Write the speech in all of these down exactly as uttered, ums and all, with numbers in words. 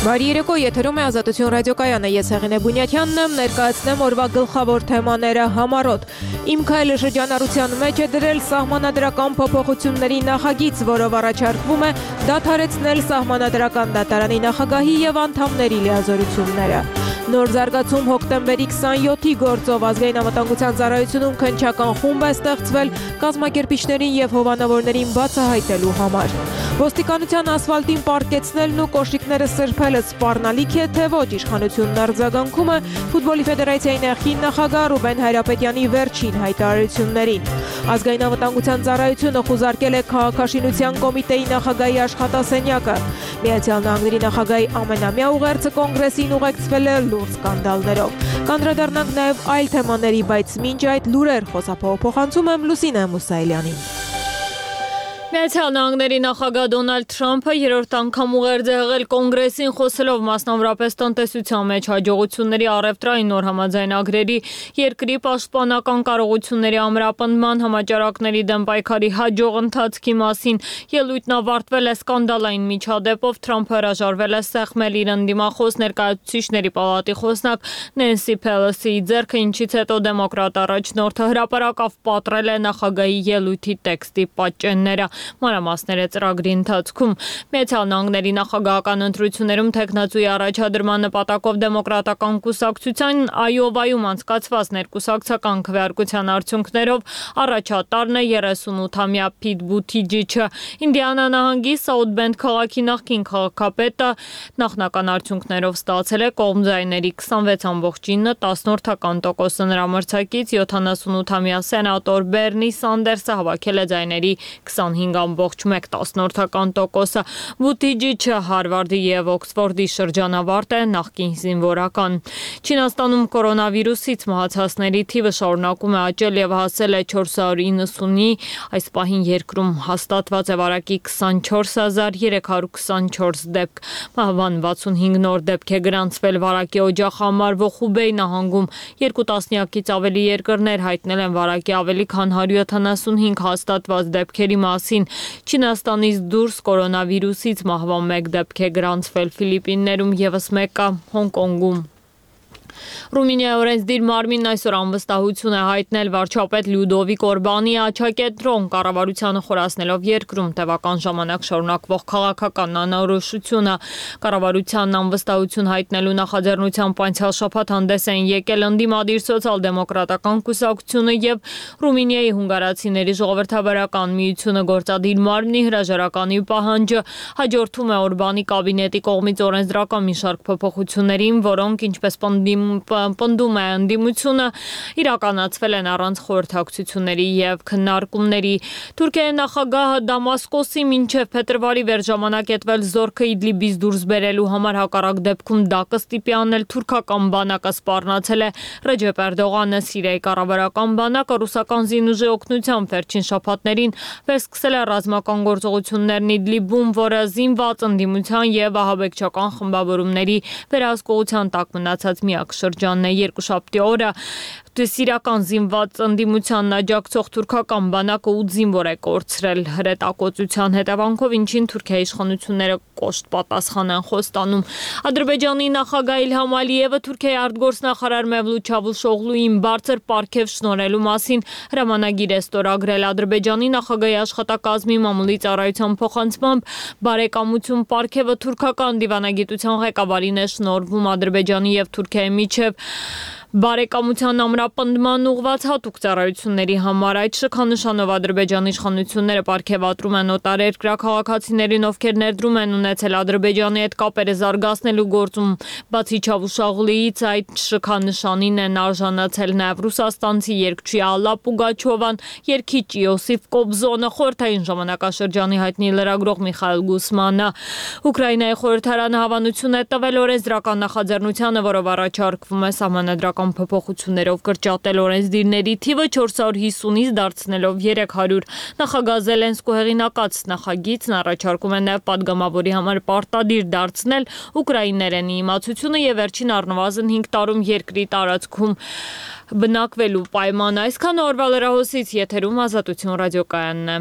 Բարի երեկո, եթերում է Ազատություն ռադիոկայանը, ես Հեղինե Բունյաթյանն եմ, ներկայացնեմ օրվա գլխավոր թեմաները համառոտ։ Իմ քայլը շրջանառության մեջ է դրել սահմանադրական փոփոխությունների նախագիծ, որով առաջարկվում է դադարեցնել սահմանադրական դատարանի նախագահի եւ անդամների լիազորությունները։ Նոր զարգացում հոկտեմբերի քսանյոթի գործով ազգային անվտանգության ծառայությունում քննչական խումբ է ստեղծվել կազմակերպիչներին եւ հովանավորներին բացահայտելու համար։ Ոստիկանության ասֆալտին պարկեցնելն ու կոշիկները սրբելը սպառնալիք է, թե ոչ, իշխանությունն արձագանքում է Ֆուտբոլի ֆեդերացիայի նախկին նախագահ Ռուբեն Հայրապետյանի վերջին հայտարարություններին։ Ազգային անվտանգության ծառայությունը խուզարկել է քաղաքաշինության կոմիտեի նախագահի աշխատասենյակը։ Միացյալ Նահանգների նախագահի ամենամյա ուղերձը կոնգրեսին ուղեկցվել է լուրջ սկանդալներով։ Կանդրադառնանք նաև այլ թեմաների, բայց մինչ այդ լուրեր խոսափողը փոխանցում եմ Լուսինե Մուսայելյանին։ Միացյալ Նահանգների նախագահ Դոնալդ Թրամփը երրորդ անգամ ուղերձ է եղել կոնգրեսին խոսելով մասնավորապես տնտեսության մեջ հաջողությունների առևտրային նոր համաձայնագրերի, երկրի պաշտպանական կարողությունների ամրապնդման, համաճարակների դեմ պայքարի հաջող ընթացքի մասին։ Ելույթն ավարտվել է սկանդալային միջադեպով, Թրամփը հրաժարվել է սեղմել իր ընդդիմախոս Ներկայացուցիչների պալատի խոսնակ Նենսի Փելոսիի ձեռքը, ինչից հետո դեմոկրատ առաջնորդը հրապարակավ պատռել է նախագահի ելույթի տեքստի պատճենները։ Մանրամասները ծրագրի ընթացքում Միացյալ Նահանգների նախագահական ընտրություններում թեկնածուի առաջադրման նպատակով դեմոկրատական կուսակցության Այովայում անցկացված ներկուսակցական քվեարկության արդյունքներով առաջատարն է երեսունութամյա Փիտ Բութիջիչը։ Ինդիանա նահանգի Սաութ Բենդ քաղաքի նախկին քաղաքապետը նախնական արդյունքներով ստացել է կողմձայների քսանվեց ամբողջ ինը տասնորդական տոկոսը, նրա մրցակից յոթանասունութամյա սենատոր Բերնի Սանդերսը հավաքել է ձայների քսանհինգ ամբողջ մեկ տասնորդական տոկոսը։ Բութիջիչը Հարվարդի եւ Օքսֆորդի շրջանավարտ է, նախկին զինվորական։ Չինաստանում կորոնավիրուսից մահացածների թիվը շարունակում է աճել եւ հասել է չորս հարյուր իննսունի, այս պահին երկրում հաստատված է վարակի քսանչորս հազար երեք հարյուր քսանչորս դեպք։ Մահվան վաթսունհինգ նոր դեպք է գրանցվել վարակի օջախ համարվող Խուբեյ նահանգում։ Երկու տասնյակից ավելի երկրներ հայտնել են վարակի ավելի քան հարյուր յոթանասունհինգ հաստատված դեպքերի մասին։ Չինաստանից դուրս կորոնավիրուսից մահվան մեկ դեպք է գրանցվել Ֆիլիպիններում, ևս մեկը Հոնկոնգում։ Ռումինիայի օրենսդիր մարմինն այսօր անվստահություն է հայտնել վարչապետ Լյուդովիկ Օրբանի աջակենտրոն կառավարությանը խորացնելով երկրում տևական ժամանակ շարունակվող քաղաքական անորոշությունը։ Կառավարությանն անվստահություն հայտնելու նախաձեռնությամբ անցյալ շաբաթ հանդես են եկել ընդդիմադիր սոցիալ-դեմոկրատական կուսակցությունը եւ Ռումինիայի հունգարացիների ժողովրդավարական միությունը։ Գործադիր մարմնի հրաժարականի պահանջը հաջորդում է Օրբանի կաբինետի կողմից օրենսդրական մի շարք փոփոխություններին, որոնք ինչպես պնդում է ընդդիմությունը, իրականացվել են առանց խորհրդակցությունների եւ քննարկումների։ Թուրքիայի նախագահը Դամասկոսի մինչև փետրվարի վեր ժամանակետվել զորքը Իդլիբից դուրս բերելու համար, հակառակ դեպքում դա կստիպի անել թուրքական բանակը սպառնացել է Ռեջեփ Էրդողանը։ Սիրիայի կառավարական բանակը ռուսական զինուժի օգնությամբ վերջին շաբաթներին վերսկսել է ռազմական գործողություններն Իդլիբում, որը զինված ընդդիմության եւ ահաբեկչական խմբավորումների վերահսկողության տակ մնացած միակ շրջանն է։ Երկուշաբթի օրը սիրիական զինված ընդդիմությանն աջակցող թուրքական բանակը ութ զինվոր է կորցրել հրետակոծության հետևանքով, ինչին Թուրքիայի իշխանությունները կոշտ պատասխան են խոստանում։ Ադրբեջանի նախագահ Իլհամ Ալիևը Թուրքիայի արտգործնախարար Մևլութ Չավուշօղլուին բարձր պարգև շնորհելու մասին հրամանագիր է ստորագրել։ Ադրբեջանի նախագահի աշխատակազմի մամուլի ծառայության փոխանցմամբ բարեկամություն պարգևը թուրքական դիվանագիտության ղեկավարին է շնորհվում Ադրբեջանի եւ Թուրքիայի միջև բարեկամության ամրապնդման ուղղված հատուկ ծառայությունների համար։ Այդ շքանշանով Ադրբեջանի իշխանությունները պարգևատրում են օտարերկրյա քաղաքացիներին, ովքեր ներդրում են ունեցել Ադրբեջանի հետ կապերը զարգացնելու գործում։ Բացի Չավուշօղլուից այդ շքանշանին են արժանացել նաև ռուսաստանցի երգչի Ալլա Պուգաչովան, երգիչ Իոսիֆ Կոբզոնը, խորհրդային ժամանակաշրջանի հայտնի լրագրող Միխայել Գուսմանը։ Ուկրաինայի խորհրդարանը հավանություն է տվել օրենսդրական նախաձեռնությանը, որով առաջարկվում է սահմանադրական փոփոխություններով կրճատել օրենսդիրների թիվը չորս հարյուր հիսունից դարձնելով երեք հարյուր։ Նախագահ Զելենսկու հեղինակած նախագիծն առաջարկում է նաև падգամավորի համար պարտադիր դարձնել ուկրաիներենի իմացությունը եւ վերջին առնվազն հինգ տարում երկրի տարածքում բնակվելու պայմանը։ Այսքան օրվա լրահոսից եթերում Ազատություն ռադիոկայանն է։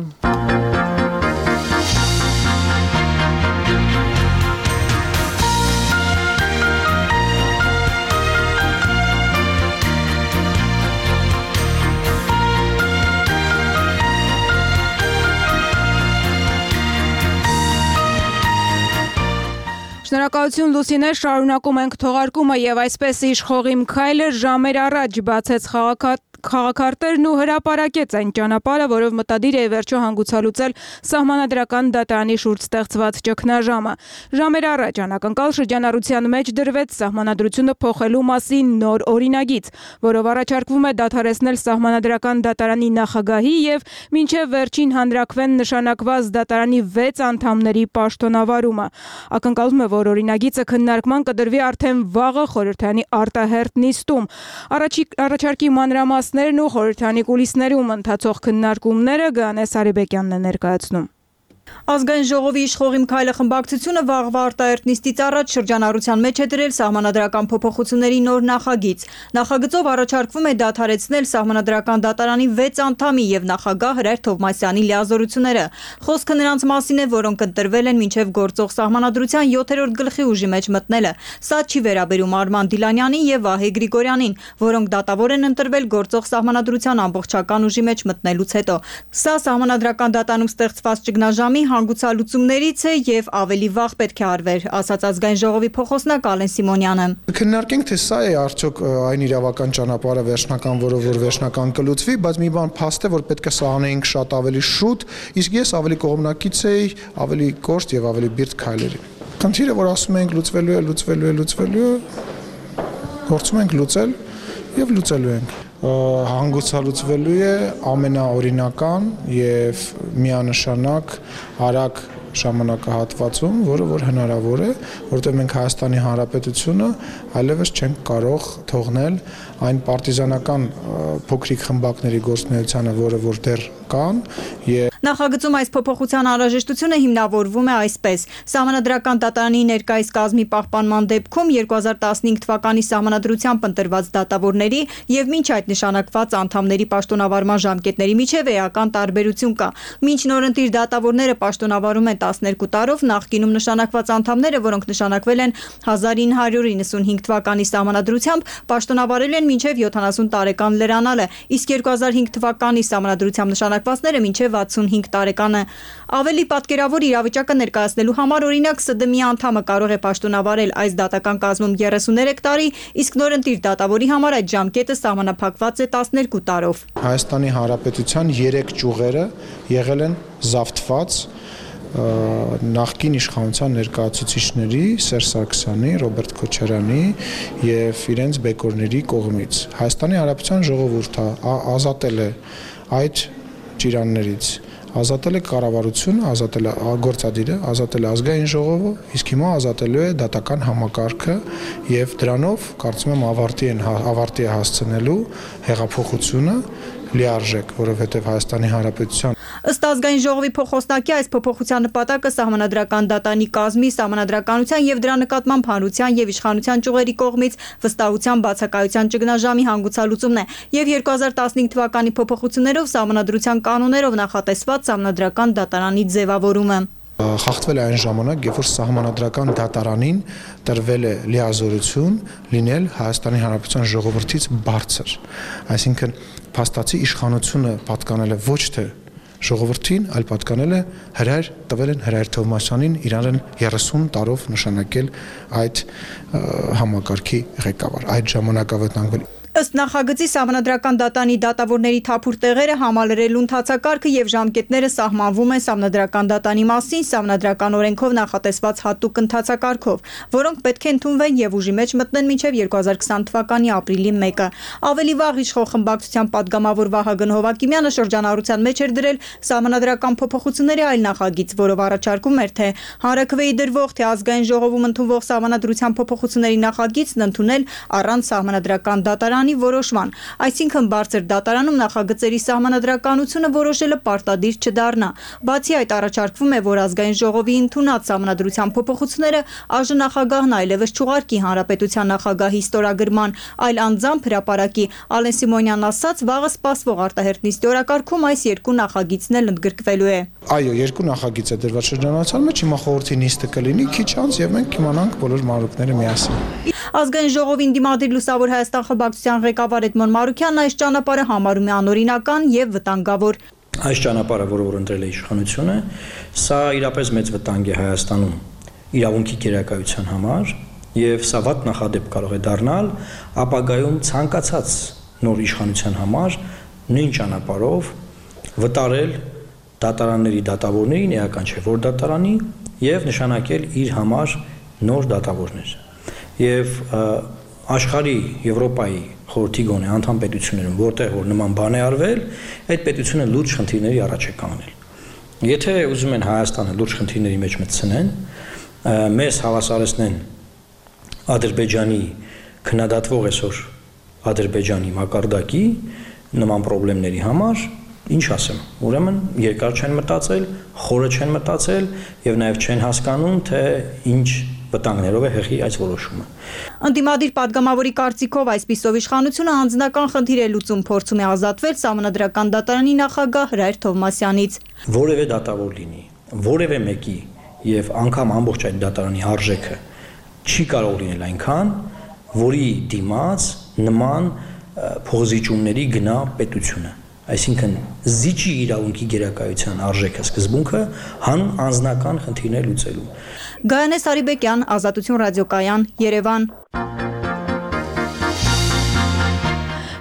Շնորհակալություն Լուսինե, շարունակում ենք թողարկումը եւ այսպես իշխող Իմ քայլը ժամեր առաջ բացեց քաղաքարտերն ու հրապարակեց այն ճանապարհը, որով մտադիր է վերջո հանգուցալուծել սահմանադրական դատարանի շուրջ ստեղծված ճգնաժամը։ Ժամեր առաջ անակնկալ շրջանառության մեջ դրվեց սահմանադրությունը փոխելու մասին նոր օրինագիծ, որով առաջարկվում է դադարեցնել սահմանադրական դատարանի նախագահի եւ մինչեւ վերջին հանրակրվեն նշանակված դատարանի վեց անդամների պաշտոնավարումը։ Ակնկալվում է, որ օրինագիծը քննարկման կդրվի արդեն վաղը խորհրդանի արտահերթ նիստում։ Առաջարկի մանրամասներն ու խորհրդանի կուլիսներում ընթացող քննարկումները Գանե Սարիբեկյանն է ներկայացնում։ Ազգային ժողովի իշխող Իմ քայլը խմբակցությունը վաղվա արտահերթ նիստից առաջ շրջանառության մեջ է դրել սահմանադրական փոփոխությունների նոր նախագիծ։ Նախագծով առաջարկվում է դադարեցնել սահմանադրական դատարանի վեց անդամի եւ նախագահ Հրայր Թովմասյանի լիազորությունները։ Խոսքը նրանց մասին է, որոնք ընտրվել են մինչեւ գործող սահմանադրության յոթերորդ գլխի ուժի մեջ մտնելը։ Սա չի վերաբերում Արման Դիլանյանին եւ Վահե Գրիգորյանին, որոնք դատավոր են ընտրվել գործող սահմանադրության ամբողջական ուժի մեջ մտնելուց հետո։ Սա սահմանադրական դատարանում ստեղծված ճգնաժամի հանգուցալուծումներից է եւ ավելի վաղ պետք է արվեր, ասաց Ազգային ժողովի փոխոսնակ Ալեն Սիմոնյանը։ Քննարկենք, թե սա է արդյոք այն իրավական ճանապարհը վերջնական, որով որ վերջնական կլուծվի, բայց մի բան փաստ է, որ պետք է սա անեինք շատ ավելի շուտ, իսկ ես ավելի կողմնակից էի ավելի կոշտ եւ ավելի բիրտ քայլերի։ Խնդիրը, որ ասում ենք լուծվելու է, լուծվելու է, լուծվելու է, փորձում ենք լուծել եւ լուծելու ենք։ Հանգուցալուծվելու է ամենաօրինական եւ միանշանակ արագ ժամանակահատվածում, որը որ հնարավոր է, որտեղ մենք Հայաստանի Հանրապետությունը այլևս չենք կարող թողնել այն պարտիզանական փոքրիկ խմբակների գործունեությանը, որը որ դեռ կան եւ Նախագծում այս փոփոխության անհրաժեշտությունը հիմնավորվում է այսպես. Սահմանադրական դատարանի ներկայիս կազմի պահպանման դեպքում երկու հազար տասնհինգ թվականի սահմանադրությամբ ընտրված դատավորների եւ մինչ այդ նշանակված անդամների պաշտոնավարման ժամկետների միջև էական տարբերություն կա։ Մինչ նորընտիր դատավորները պաշտոնավարում են տասներկու տարով, նախկինում նշանակված անդամները, որոնք նշանակվել են հազար ինը հարյուր իննսունհինգ թվականի սահմանադրությամբ, պաշտոնավարել են մինչև յոթանասուն տարեկան լրանալը, իսկ երկու հազար հինգ թվականի սահմանադրությամբ նշանակվածները մինչև վաթսունհինգ տարեկանը։ Ավելի պատկերավոր իրավիճակը ներկայացնելու համար օրինակ ՍԴՄ-ի անդամը կարող է պաշտոնավարել այս դատական կազմում երեսուներեք տարի, իսկ նորընտիր դատավորի համար այդ ժամկետը սահմանափակված է տասներկու տարով։ Հայաստանի Հանրապետության երեք ճյուղերը եղել են զավթված նախկին իշխանության ներկայացուցիչների Սերժ Սարգսյանի, Ռոբերտ Քոչարյանի եւ իրենց բեկորների կողմից։ Հայաստանի Հանրապետության ժողովուրդը ազատել է այդ ճիրաններից, ազատել է կառավարությունը, ազատել է գործադիրը, ազատել է ազգային ժողովը, իսկ հիմա ազատելու է դատական համակարգը եւ դրանով կարծում եմ ավարտի են ավարտի է հասցնելու հեղափոխությունը լիարժեք, որովհետև Հայաստանի Հանրապետության Ըստ Ազգային ժողովի փոխոսնակի այս փոփոխության նպատակը սահմանադրական դատարանի կազմի, սահմանադրականության եւ դրա նկատմամբ հանրության եւ իշխանության ճյուղերի կողմից վստահության բացակայության ճգնաժամի հանգուցալուծումն է եւ երկու հազար տասնհինգ թվականի փոփոխություններով սահմանադրության կանոններով նախատեսված սահմանադրական դատարանի ձևավորումը խախտվել է այն ժամանակ, երբ որ սահմանադրական դատարանին տրվել է լիազորություն լինել Հայաստանի Հանրապետության ժողովրդից բարձր, այսինքն փաստացի իշխանությունը պատկանել է ոչ թե ժողովրդին, այլ պատկանել է Հրայր տվել են Հրայր Թովմասյանին իրեն երեսուն տարով նշանակել այդ համակարգի ղեկավար, այդ ժամանակավետանգվել Ըստ նախագծի սահմանադրական դատարանի դատավորների թափուր տեղերը համալրելու ընթացակարգը եւ ժամկետները սահմանվում են սահմանադրական դատարանի մասին սահմանադրական օրենքով նախատեսված հատուկ ընթացակարգով, որոնք պետք է ընդունվեն եւ ուժի մեջ մտնեն մինչեւ երկու հազար քսան թվականի ապրիլի մեկը։ Ավելի վաղ իշխող խմբակցության падգամավոր Վահագն Հովակիմյանը շրջանառության մեջ էր դրել սահմանադրական փոփոխությունների այլ նախագիծ, որով առաջարկում էր թե հանրաքվեի դրվող թե ազգային ժողովում ընդունվող սահմանադրության փոփոխությունների նախագիծն ընդունել առանց սահմանադրական դատարանի որոշման, այսինքն բարձր դատարանում նախագծերի սահմանադրականությունը որոշելը պարտադիր չդառնա։ Բացի այդ առաջարկվում է, որ ազգային ժողովի ընդունած սահմանադրության փոփոխությունները ԱԺ նախագահն այլևս չուղարկի հանրապետության նախագահի ստորագրման, այլ անձամբ հրապարակի։ Ալեն Սիմոնյանն ասաց, վաղը սպասվող արտահերթ նիստի օրակարգում այս երկու նախագիծն էլ ընդգրկվելու է։ Այո, երկու նախագիծ է դրված շրջանառության մեջ, հիմա խորհրդի նիստը կլինի քիչ անց եւ մենք կիմանանք բոլոր մանրուքները միասին։ Ազգային ժողովին դիմադիր Լուսավոր Հայաստան խմբակցության ղեկավար Էդմոն Մարուկյանն այս ճանապարհը համարում է անօրինական եւ վտանգավոր։ Այս ճանապարհը, որը որ ընտրել է իշխանությունը, սա իրապես մեծ վտանգ է Հայաստանում իրավունքի գերակայության համար եւ սա վատ նախադեպ կարող է դառնալ ապագայում ցանկացած նոր իշխանության համար նույն ճանապարհով վտարել դատարանների դատավորներին, էական չէ որ դատարանի եւ նշանակել իր համար նոր դատավորներ։ Եվ աշխարհի Եվրոպայի խորհրդի գոնե անդամ պետություններում, որտեղ որ նման բան է արվել, այդ պետությունը լուրջ խնդիրների առաջ է կանգնել։ Եթե ուզում են Հայաստանը լուրջ խնդիրների մեջ մտցնեն, մեզ հավասարեցնեն Ադրբեջանի քննադատվող այսօր Ադրբեջանի մակարդակի նման խնդիրների համար, ինչ ասեմ, ուրեմն երկար չեն մտածել, խորը չեն մտածել եւ նաեւ չեն հասկանում, թե ինչ վտանգներով է հեղի այս որոշումը։ Ընդդիմադիր падգամավորի կարծիքով այսպիսով իշխանությունը անձնական խնդիր է լուծում, փորձում է ազատվել Սահմանադրական դատարանի նախագահ Հրայր Թովմասյանից։ Որևէ դատավոր լինի, որևէ մեկի եւ անգամ ամբողջ այդ դատարանի արժեքը չի կարող լինել այնքան, որի դիմաց նման փոխզիջումների գնա պետությունը։ Այսինքն զիջի իրավունքի գերակայության արժեքը սկզբունքը հանուն անձնական խնդիրներ լուծելու։ Գայանե Սարիբեկյան, Ազատություն ռադիոկայան, Երևան։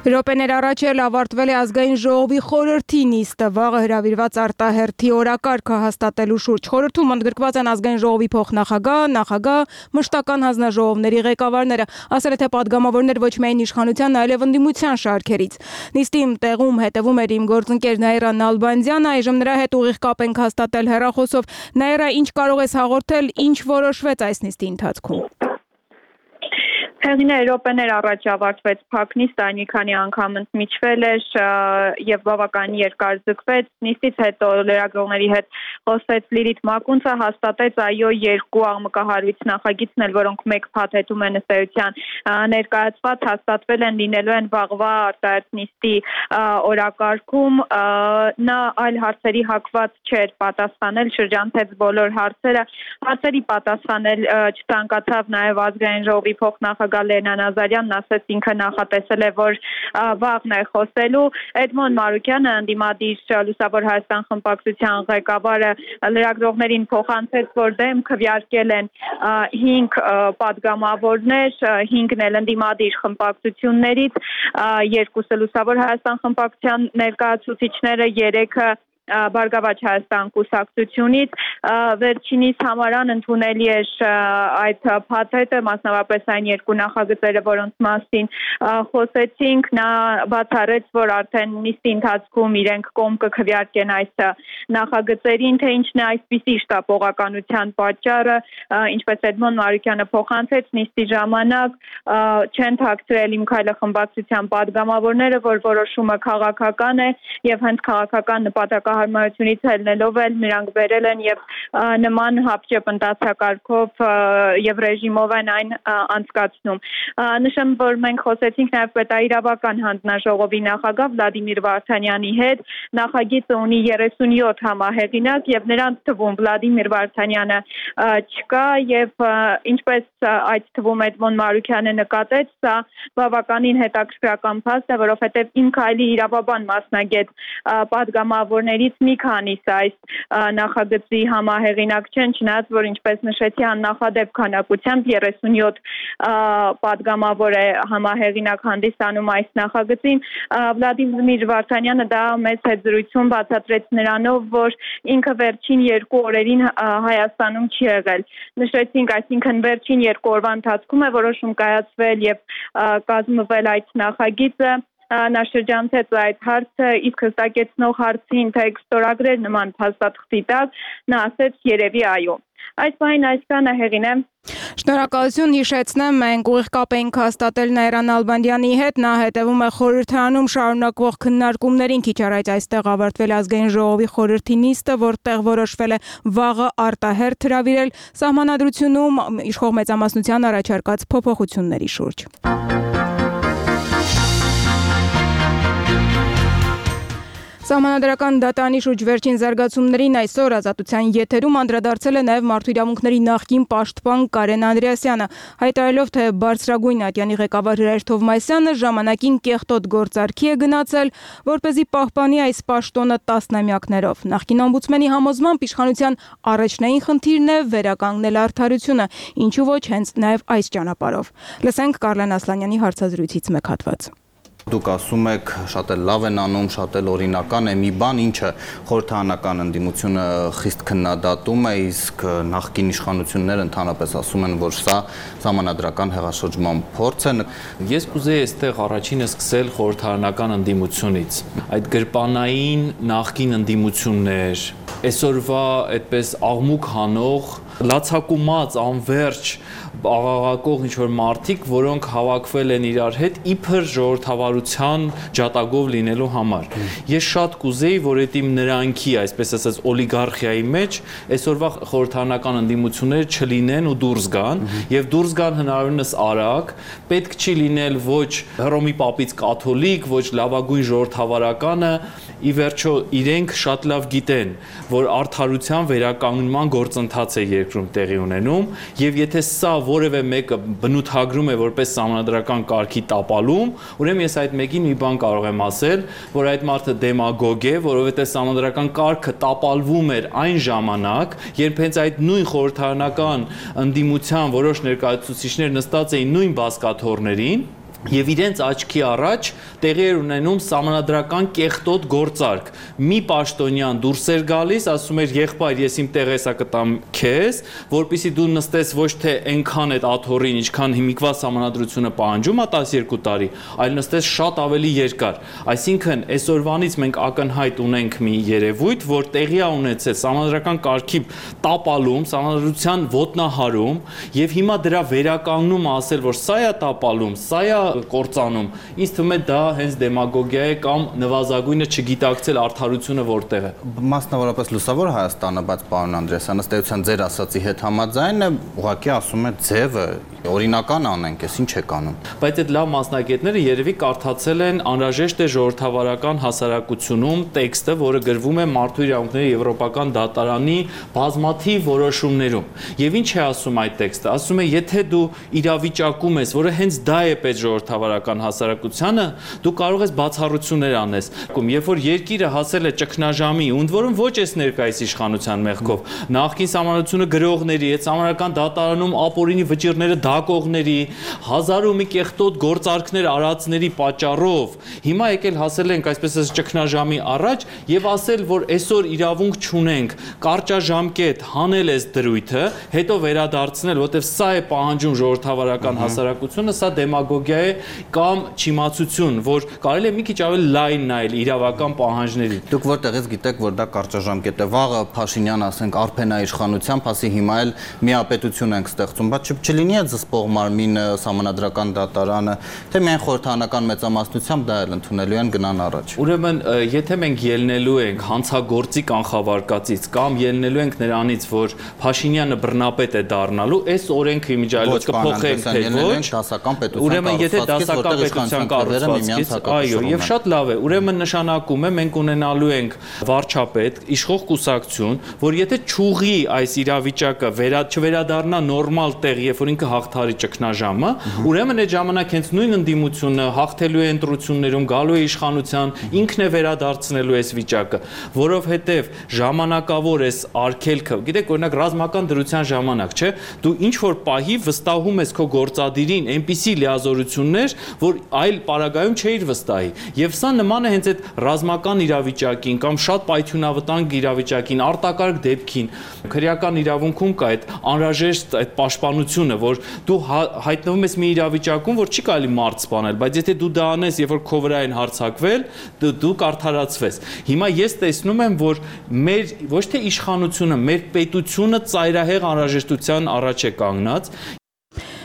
Րոպեներ առաջ էլ ավարտվել է ազգային ժողովի խորհրդի նիստը, վաղը հրավիրված արտահերթի օրակարգը հաստատելու շուրջ։ Խորհրդում ընդգրկված են ազգային ժողովի փոխնախագահ, նախագահ, մշտական հանձնաժողովների ղեկավարները, ասել է թե падգամավորներ ոչ միայն իշխանության, այլև ընդդիմության շարքերից։ Նիստի տեղում հետևում էր իմ գործընկեր Նաիրա Նալբանդյանը, այժմ նրա հետ ուղիղ կապ ենք հաստատել հեռախոսով։ Նաիրա, ինչ կարող ես հաղորդել, ինչ որոշվեց այս նիստի ընթացքում։ Հեղինե րոպեներ առաջ ավարտվեց փակ նիստը, այն մի քանի անգամ ընդմիջվել էր եւ բավական երկար ձգվեց։ Նիստից հետո լրագրողների հետ խոսեց Լիլիթ Մակունցը, հաստատեց այո երկու աղմկահարույց նախագիծներ, որոնք մեկ փաթեթում են ըստ էության ներկայացված, հաստատվել են, լինելու են վաղվա արտահերթ նիստի օրակարգում։ Նա այլ հարցերի հակված չէր պատասխանել, շրջանցեց բոլոր հարցերը։ Հարցերի պատասխանել չցանկացավ նաեւ ազգային ժողովի փոխնախագահ Լենա Նազարյանն, ասաց ինքը նախատեսել է, որ վաղն է խոսելու։ Էդմոն Մարուկյանը, ընդդիմադիր Լուսավոր Հայաստան խմբակցության ղեկավարը, լրագրողներին փոխանցեց, որ դեմ քվեարկել են հինգ падգամավորներ, հինգն էլ ընդդիմադիր խմբակցություններից, երկուսը Լուսավոր Հայաստան խմբակցության ներկայացուցիչները, երեքը Բարգավաճ Հայաստան կուսակցությունից, վերջինիս համարան ընդունելի էր այդ փաթեթը, մասնավորապես այն երկու նախագծերը, որոնց մասին խոսեցինք, նա բացառեց, որ արդեն նիստի ընթացքում իրենք կողմ կքվեարկեն այս նախագծերին, թե ինչն է այսպիսի շտապողականության պատճառը, ինչպես Էդմոն Մարուկյանը փոխանցեց նիստի ժամանակ, չեն թաքցրել Իմ քայլը խմբակցության падգամավորները, որ որոշումը քաղաքական է եւ հենց քաղաքական նպատակահարմարությունից ելնելով էլ նրանք բերել են եւ նման հապճեպ ընթացակարգով եւ ռեժիմով են այն անցկացնում։ Նշեմ, որ մենք խոսեցինք նաեւ պետաիրավական հանձնաժողովի նախագահ Վլադիմիր Վարդանյանի հետ, նախագիծը ունի երեսունյոթ համահեղինակ եւ նրանց թվում Վլադիմիր Վարդանյանը չկա եւ ինչպես այդ թվում Էդմոն Մարուկյանը նկատեց, սա բավականին հետաքրքրական փաստ է, որովհետեւ Իմ քայլի իրավաբան մասնագետ падգամավորներից մի քանիսը այս նախագծի համահեղինակ չեն, չնայած որ ինչպես նշեցի աննախադեպ քանակությամբ երեսունյոթ падգամավոր է համահեղինակ հանդիսանում այս նախագծին։ Վլադիմիր Վարդանյանը դա մեծ հետզրույցում բացատրեց նրանով, որ ինքը վերջին երկու օրերին Հայաստանում չի եղել։ Նշեցինք, այսինքն վերջին երկու օրվա ընթացքում է որոշում կայացվել եւ կազմվել այդ նախագիծը։ Նա շրջանցեց այդ հարցը, իսկ հստակեցնող հարցին, թե կստորագրեր նման փաստաթղթի տակ, նա ասեց երևի այո։ Այս բանին այսքանը Հեղինե։ Շնորհակալություն, հիշեցնեմ, մենք ուղիղ կապ ենք հաստատել Նաիրա Նալբանդյանի հետ, նա հետևում է խորհրդարանում շարունակվող քննարկումներին, քիչ առաջ այստեղ ավարտվել ազգային ժողովի խորհրդի նիստը, որտեղ որոշվել է վաղը արտահերթ հրավիրել Սահմանադրությունում իշխող մեծամասնության առաջարկած փոփոխությունների շուրջ։ Սահմանադրական դատանի շուրջ վերջին զարգացումներին այսօր Ազատության եթերում անդրադարձել է նաև Մարդու իրավունքների նախկին պաշտպան Կարեն Անդրեասյանը, հայտարարելով, թե բարձրագույն ատյանի ղեկավար Հրայր Թովմասյանը ժամանակին կեղտոտ գործարքի է գնացել, որպեսզի պահպանի այս պաշտոնը տասնամյակներով։ Նախկին օմբուդսմենի համոզմամբ իշխանության առաջնային խնդիրն է վերականգնել արդարությունը, ինչու ոչ հենց նաև այս ճանապարհով։ Լսենք Կարլեն Ասլանյանի հարցազրույցից մեկ հատված։ Դուք ասում եք շատ էլ լավ են անում, շատ էլ օրինական է մի բան, ինչը խորհրդարանական ընդդիմությունը խիստ քննադատում է, իսկ նախկին իշխանությունները ընդհանրապես ասում են, որ սա սահմանադրական հեղաշրջման փորձ է։ Ես կուզեի այստեղ առաջինը սկսել խորհրդարանական ընդդիմությունից։ Այդ գրպանային նախկին ընդդիմություններ, այսօրվա այդպես աղմուկ հանող, լացակումած, անվերջ աղաղակող ինչ-որ մարդիկ, որոնք հավաքվել են իրար հետ իբր ժողովրդավարության ջատագով լինելու համար։ Ես շատ կուզեի, որ այդ իմ նրանքի, այսպես ասած, օլիգարխիայի մեջ այսօրվա խորհրդարանական ընդդիմությունները չլինեն ու դուրս գան, եւ դուրս գան հնարավորինս արագ, պետք չի լինել ոչ Հռոմի պապից կաթոլիկ, ոչ լավագույն ժողովրդավարականը, ի վերջո իրենք շատ լավ գիտեն, որ արդարության վերականգնման գործընթաց է երկրում տեղի ունենում, եւ եթե սա որևէ մեկը բնութագրում է որպես սահմանադրական կարգի տապալում, ուրեմն ես այդ մեկին մի բան կարող եմ ասել, որ այդ մարդը դեմագոգ է, որովհետեւ սահմանադրական կարգը տապալվում էր այն ժամանակ, երբ հենց այդ նույն խորհրդարանական ընդդիմության որոշ ներկայացուցիչներ նստած էին նույն բազկաթոռներին եւ իրենց աչքի առաջ տեղի էր ունենում սահմանադրական կեղտոտ գործարք։ Մի պաշտոնյան դուրս էր գալիս, ասում էր եղբայր, ես իմ տեղը հեսա կտամ քեզ, որպեսզի դու նստես ոչ թե այնքան այդ աթոռին, ինչքան հիմիկվա սահմանադրությունը պահանջում է տասներկու տարի, այլ նստես շատ ավելի երկար։ Այսինքն այսօրվանից մենք ակնհայտ ունենք մի երևույթ, որ տեղի է ունեցել սահմանադրական կարգի տապալում, սահմանադրության ոտնահարում եւ հիմա դրա վերականգնում ասել, որ սա է տապալում, սա է կործանում, ինձ թվում է դա հենց դեմագոգիա է կամ նվազագույնը չգիտակցել արդարությունը որտեղ է։ Մասնավորապես լուսավոր Հայաստանը, բայց պարոն Անդրեասյան, ըստ էության ձեր ասացի հետ համաձայն է, ուղղակի ասում է ձևը օրինական անենք, ես ինչ եք անում։ Բայց այդ լավ մասնագետները երևի կարդացել են անհրաժեշտ է ժողովրդավարական հասարակությունում տեքստը, որը գրվում է Մարդու իրավունքների եվրոպական դատարանի բազմաթիվ որոշումներում։ Եվ ինչ է ասում այդ տեքստը։ Ասում է, եթե դու իրավիճակում ես, որը հենց դա է պետք ժողովրդավարական հասարակությանը, դու կարող ես բացառություններ անես։ Երբ որ երկիրը հասել է ճգնաժամի, ընդ որում ոչ էս ներկայիս իշխանության մեղքով, նախկին սահմանությունը գրողների, այդ սահմանադրական դատարանում ապօրինի վճիռները դակողների, հազար ու մի կեղտոտ գործարքներ արածների պատճառով, հիմա եկել հասել ենք այսպես ասած ճգնաժամի առաջ եւ ասել, որ այսօր իրավունք չունենք կարճաժամկետ հանել այս դրույթը, հետո վերադարձնել, որտեվ սա է պահանջում ժողովրդավարական հասարակությունը, սա դեմագոգիա է կամ չիմացություն, որ կարելի է մի քիչ ավելի լայն նայել իրավական պահանջներին։ Դուք որտեղից գիտեք, որ դա կարճաժամկետ է, վաղը Փաշինյան ասենք արփենաիշխանությամբ, ասի հիմա էլ միապետություն ենք ստեղծում, բայց չլինի է զսպող մարմին սահմանադրական դատարանը, թե միայն խորհրդարանական մեծամասնությամբ դա էլ ընդունելու են գնան առաջ։ Ուրեմն, եթե մենք ելնելու ենք հանցագործի կանխավարկածից կամ ելնելու ենք նրանից, որ Փաշինյանը բռնապետ է դառնալու, այս օրենքը իմիջիայլոց կփոխենք, թե ոչ, դասական պետության ուրեմն եթե դասական պետության կառուցվածքից, այո, եւ շատ լավ է, ուրեմն նշանակում է մենք ունենալու ենք վարչապետ, իշխող կուսակցություն, որ եթե չուղի այս իրավիճակը վերա չվերադառնա նորմալ տեղ, երբ որ ինքը հաղթարի ճգնաժամը, ուրեմն այդ ժամանակ հենց նույն ընդդիմությունը հաղթելու է ընտրություններում, գալու է իշխանության, ինքն է վերադարձնելու այս վիճակը, որովհետեւ ժամանակավոր էս արգելքը, գիտեք, օրինակ ռազմական դրության ժամանակ, չէ, դու ինչ որ պահի վստահում ես քո գործադիրին այնպիսի լիազորություններ, որ այլ պարագայում չէիր վստահի։ Եվ սա նման է հենց այդ ռազմական իրավիճակին կամ շատ պայթյունավտանգ իրավիճակին, արտակարգ դեպքին։ Քրեական իրավունքում կա այդ անհրաժեշտ այդ պաշտպանությունը, որ դու հայտնվում ես մի իրավիճակում, որ չի կարելի մարդ սպանել, բայց եթե դու դա անես, երբ որ քո վրա են հարձակվել, դու կարդարացվես։ Հիմա ես տեսնում եմ, որ մեր ոչ թե իշխանությունը, մեր պետությունը ծայրահեղ անհրաժեշտության առաջ է կանգնած։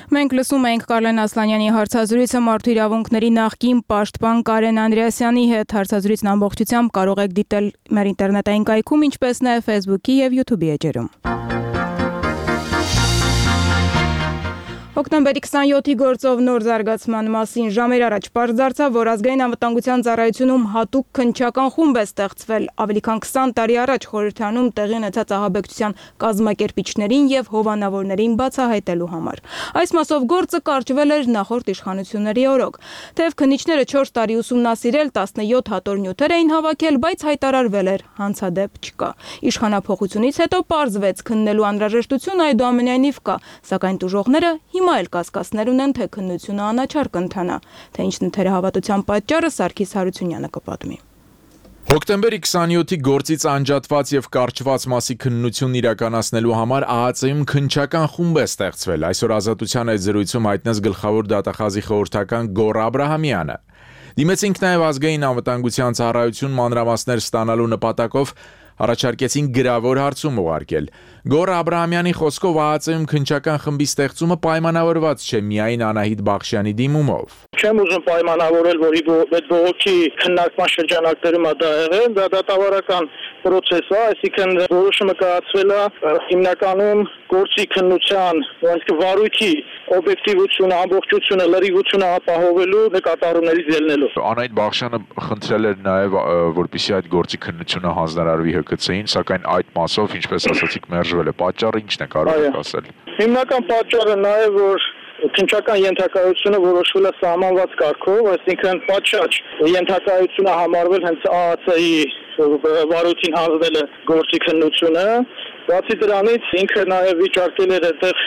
Մենք լսում ենք Կարլեն Ասլանյանի հարցազրույցը Մարդու իրավունքների նախկին պաշտպան Կարեն Անդրեասյանի հետ։ Հարցազրույցն ամբողջությամբ կարող եք դիտել մեր ինտերնետային կայքում, ինչպես նաև Facebook-ի եւ YouTube-ի էջերում։ Հոկտեմբերի քսանյոթի գործով նոր զարգացման մասին ժամեր առաջ պարզ դարձավ, որ ազգային անվտանգության ծառայությունում հատուկ քննչական խումբ է ստեղծվել ավելի քան քսան տարի առաջ խորհրդանում տեղի ունեցած ահաբեկչության կազմակերպիչներին եւ հովանավորներին բացահայտելու համար։ Այս մասով գործը կարճվել էր նախորդ իշխանությունների օրոք։ Թեև քննիչները չորս տարի ուսումնասիրել տասնյոթ հատոր նյութեր էին հավաքել, բայց հայտարարվել էր հանցադեպ չկա։ Իշխանափոխությունից հետո պարզվեց քննելու անհրաժեշտություն այդուամենայնիվ կա, սակայն տուժողները հիմա էլ կասկածներ ունեն, թե քննությունը անաչառ կընթանա, թե ինչն է թերահավատության պատճառը Սարգիս Հարությունյանը կպատմի։ Հոկտեմբերի քսանյոթի գործից անջատված եւ կարճված մասի քննությունն իրականացնելու համար ԱԱԾ-ում քննչական խումբ է ստեղծվել։ Այսօր Ազատության այդ զրույցում հայտնեց գլխավոր դատախազի խորհրդական Գոռ Աբրահամյանը։ Դիմեցինք նաեւ ազգային անվտանգության ծառայություն մանրամասներ ստանալու նպատակով առաջարկեցին գրավոր հարցում ուղարկել։ Գոռ Աբրահամյանի խոսքով ԱԱԾ-ում քննչական խմբի ստեղծումը պայմանավորված չէ միայն Անահիտ Բախշյանի դիմումով։ Չեմ ուզում պայմանավորել, որ այդ բողոքի քննարկման շրջանակներում դա եղել, դա դատավարական process է, այսինքն որոշումը կայացվել է հիմնականում գործի քննության, այսինքն վարույթի օբյեկտիվությունը, ամբողջությունը, լրիվությունը ապահովելու նկատառումներից ելնելով։ Անահիտ Բախշյանը խնդրել էր նաև, որպեսզի այդ գործի քննությունը հանձնարարվի Հ K C-ին, սակայն այդ մասով, ինչպես ասացիք, մերժվել է։ Պատճառը ի՞նչն է, կարող եք ասել։ Հիմնական պատճառը նաև որ քննչական ենթակայությունը որոշվել է սահմանված կարգով, այսինքն պատշաճ ենթակայությունը համարվել հենց ԱԱԾ-ի վարույթին հանձնել է գործի քննությունը։ Բացի դրանից ինքը նաև վիճարկել էր այդտեղ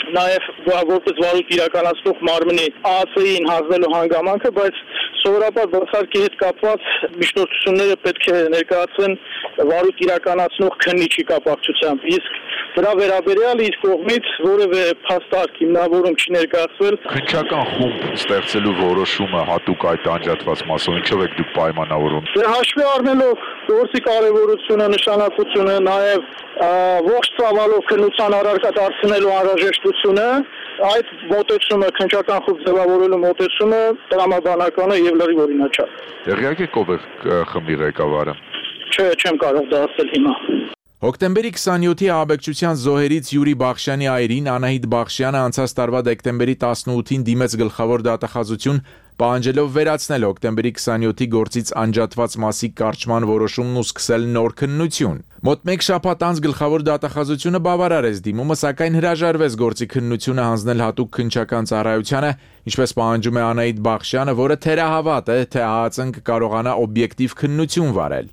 նաև որպես վարույթ իրականացնող մարմնի ԱԱԾ-ին հանձնելու հանգամանքը, բայց սովորաբար բացարկի հետ կապված միջնորդությունները պետք է ներկայացվեն վարույթ իրականացնող քննիչի կապակցությամբ։ Իսկ դրա վերաբերյալ իր կողմից որևէ փաստարկ հիմնավորում չի ներկայացվել։ Քննչական խումբ ստեղծելու որոշումը հատուկ այդ անջատված մասով ինչով եք դուք պայմանավորում։ Դե հաշվի առնելով գործի կարևորությունը, նշանակությունը, նաև ողջ ծավալով քննության առարկա դարձնելու անհրաժեշտությունը, այդ մոտեցումը, քննչական խումբ ձևավորելու մոտեցումը տրամաբանական է եւ լրիվ օրինաչափ։ Տեղյակ եք ով է խմբի ղեկավարը։ Չէ, չեմ կարող դա ասել հիմա։ Հոկտեմբերի քսանյոթի ահաբեկչության զոհերից Յուրի Բախշյանի այրին Անահիտ Բախշյանը անցած տարվա դեկտեմբերի տասնութին դիմեց գլխավոր դատախազություն, պահանջելով վերացնել հոկտեմբերի քսանյոթի գործից անջատված մասի կարճման որոշումն ու սկսել նոր քննություն։ Մոտ մեկ շաբաթ անց գլխավոր դատախազությունը բավարարեց դիմումը, սակայն հրաժարվեց գործի քննությունը հանձնել հատուկ քննչական ծառայությանը, ինչպես պահանջում է Անահիտ Բախշյանը, որը թերահավատ է, թե ԱԱԾ-ն կկարողանա օբյեկտիվ քննություն վարել։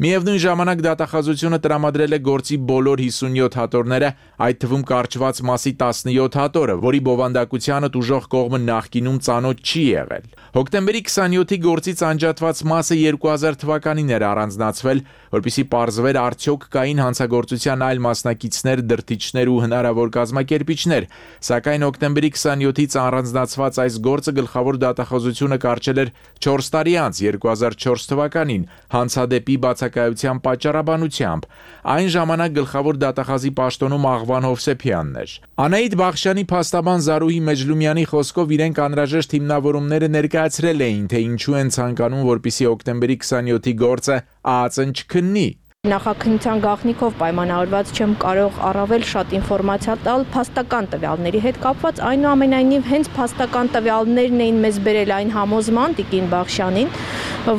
Միևնույն ժամանակ դատախազությունը տրամադրել է գործի բոլոր հիսունյոթ հատորները, այդ թվում կարճված մասի տասնյոթ հատորը, որի բովանդակությանը տուժող կողմը նախկինում ծանոթ չի եղել։ Հոկտեմբերի քսանյոթի գործից անջատված մասը երկու հազար թվականին էր առանձնացվել, որպեսզի պարզվեր արդյոք կային հանցագործության այլ մասնակիցներ, դրդիչներ ու հնարավոր կազմակերպիչներ, սակայն հոկտեմբերի քսանյոթից առանձնացված այս գործը գլխավոր դատախազությունը կարճել էր չորս տարի անց երկու հազար չորս թվականին հանցադեպի բացակայության պատճառաբանությամբ։ Այն ժամանակ գլխավոր դատախազի պաշտոնում Աղվան Հովսեփյանն էր։ Անահիտ Բախշյանի փաստաբան Զարուհի Մեջլումյանի խոսքով իրենք անհրաժեշտ հիմնավորումները ներկայացրել էին, թե ինչու են ցանկանում, որպեսզի հոկտեմբերի քսանյոթի գործը ԱԱԾ-ն չքննի։ Նախաքննության գաղտնիքով պայմանավորված չեմ կարող առավել շատ ինֆորմացիա տալ փաստական տվյալների հետ կապված, այնուամենայնիվ հենց փաստական տվյալներն էին մեզ բերել այն համոզման Տիկին Բախշյանին,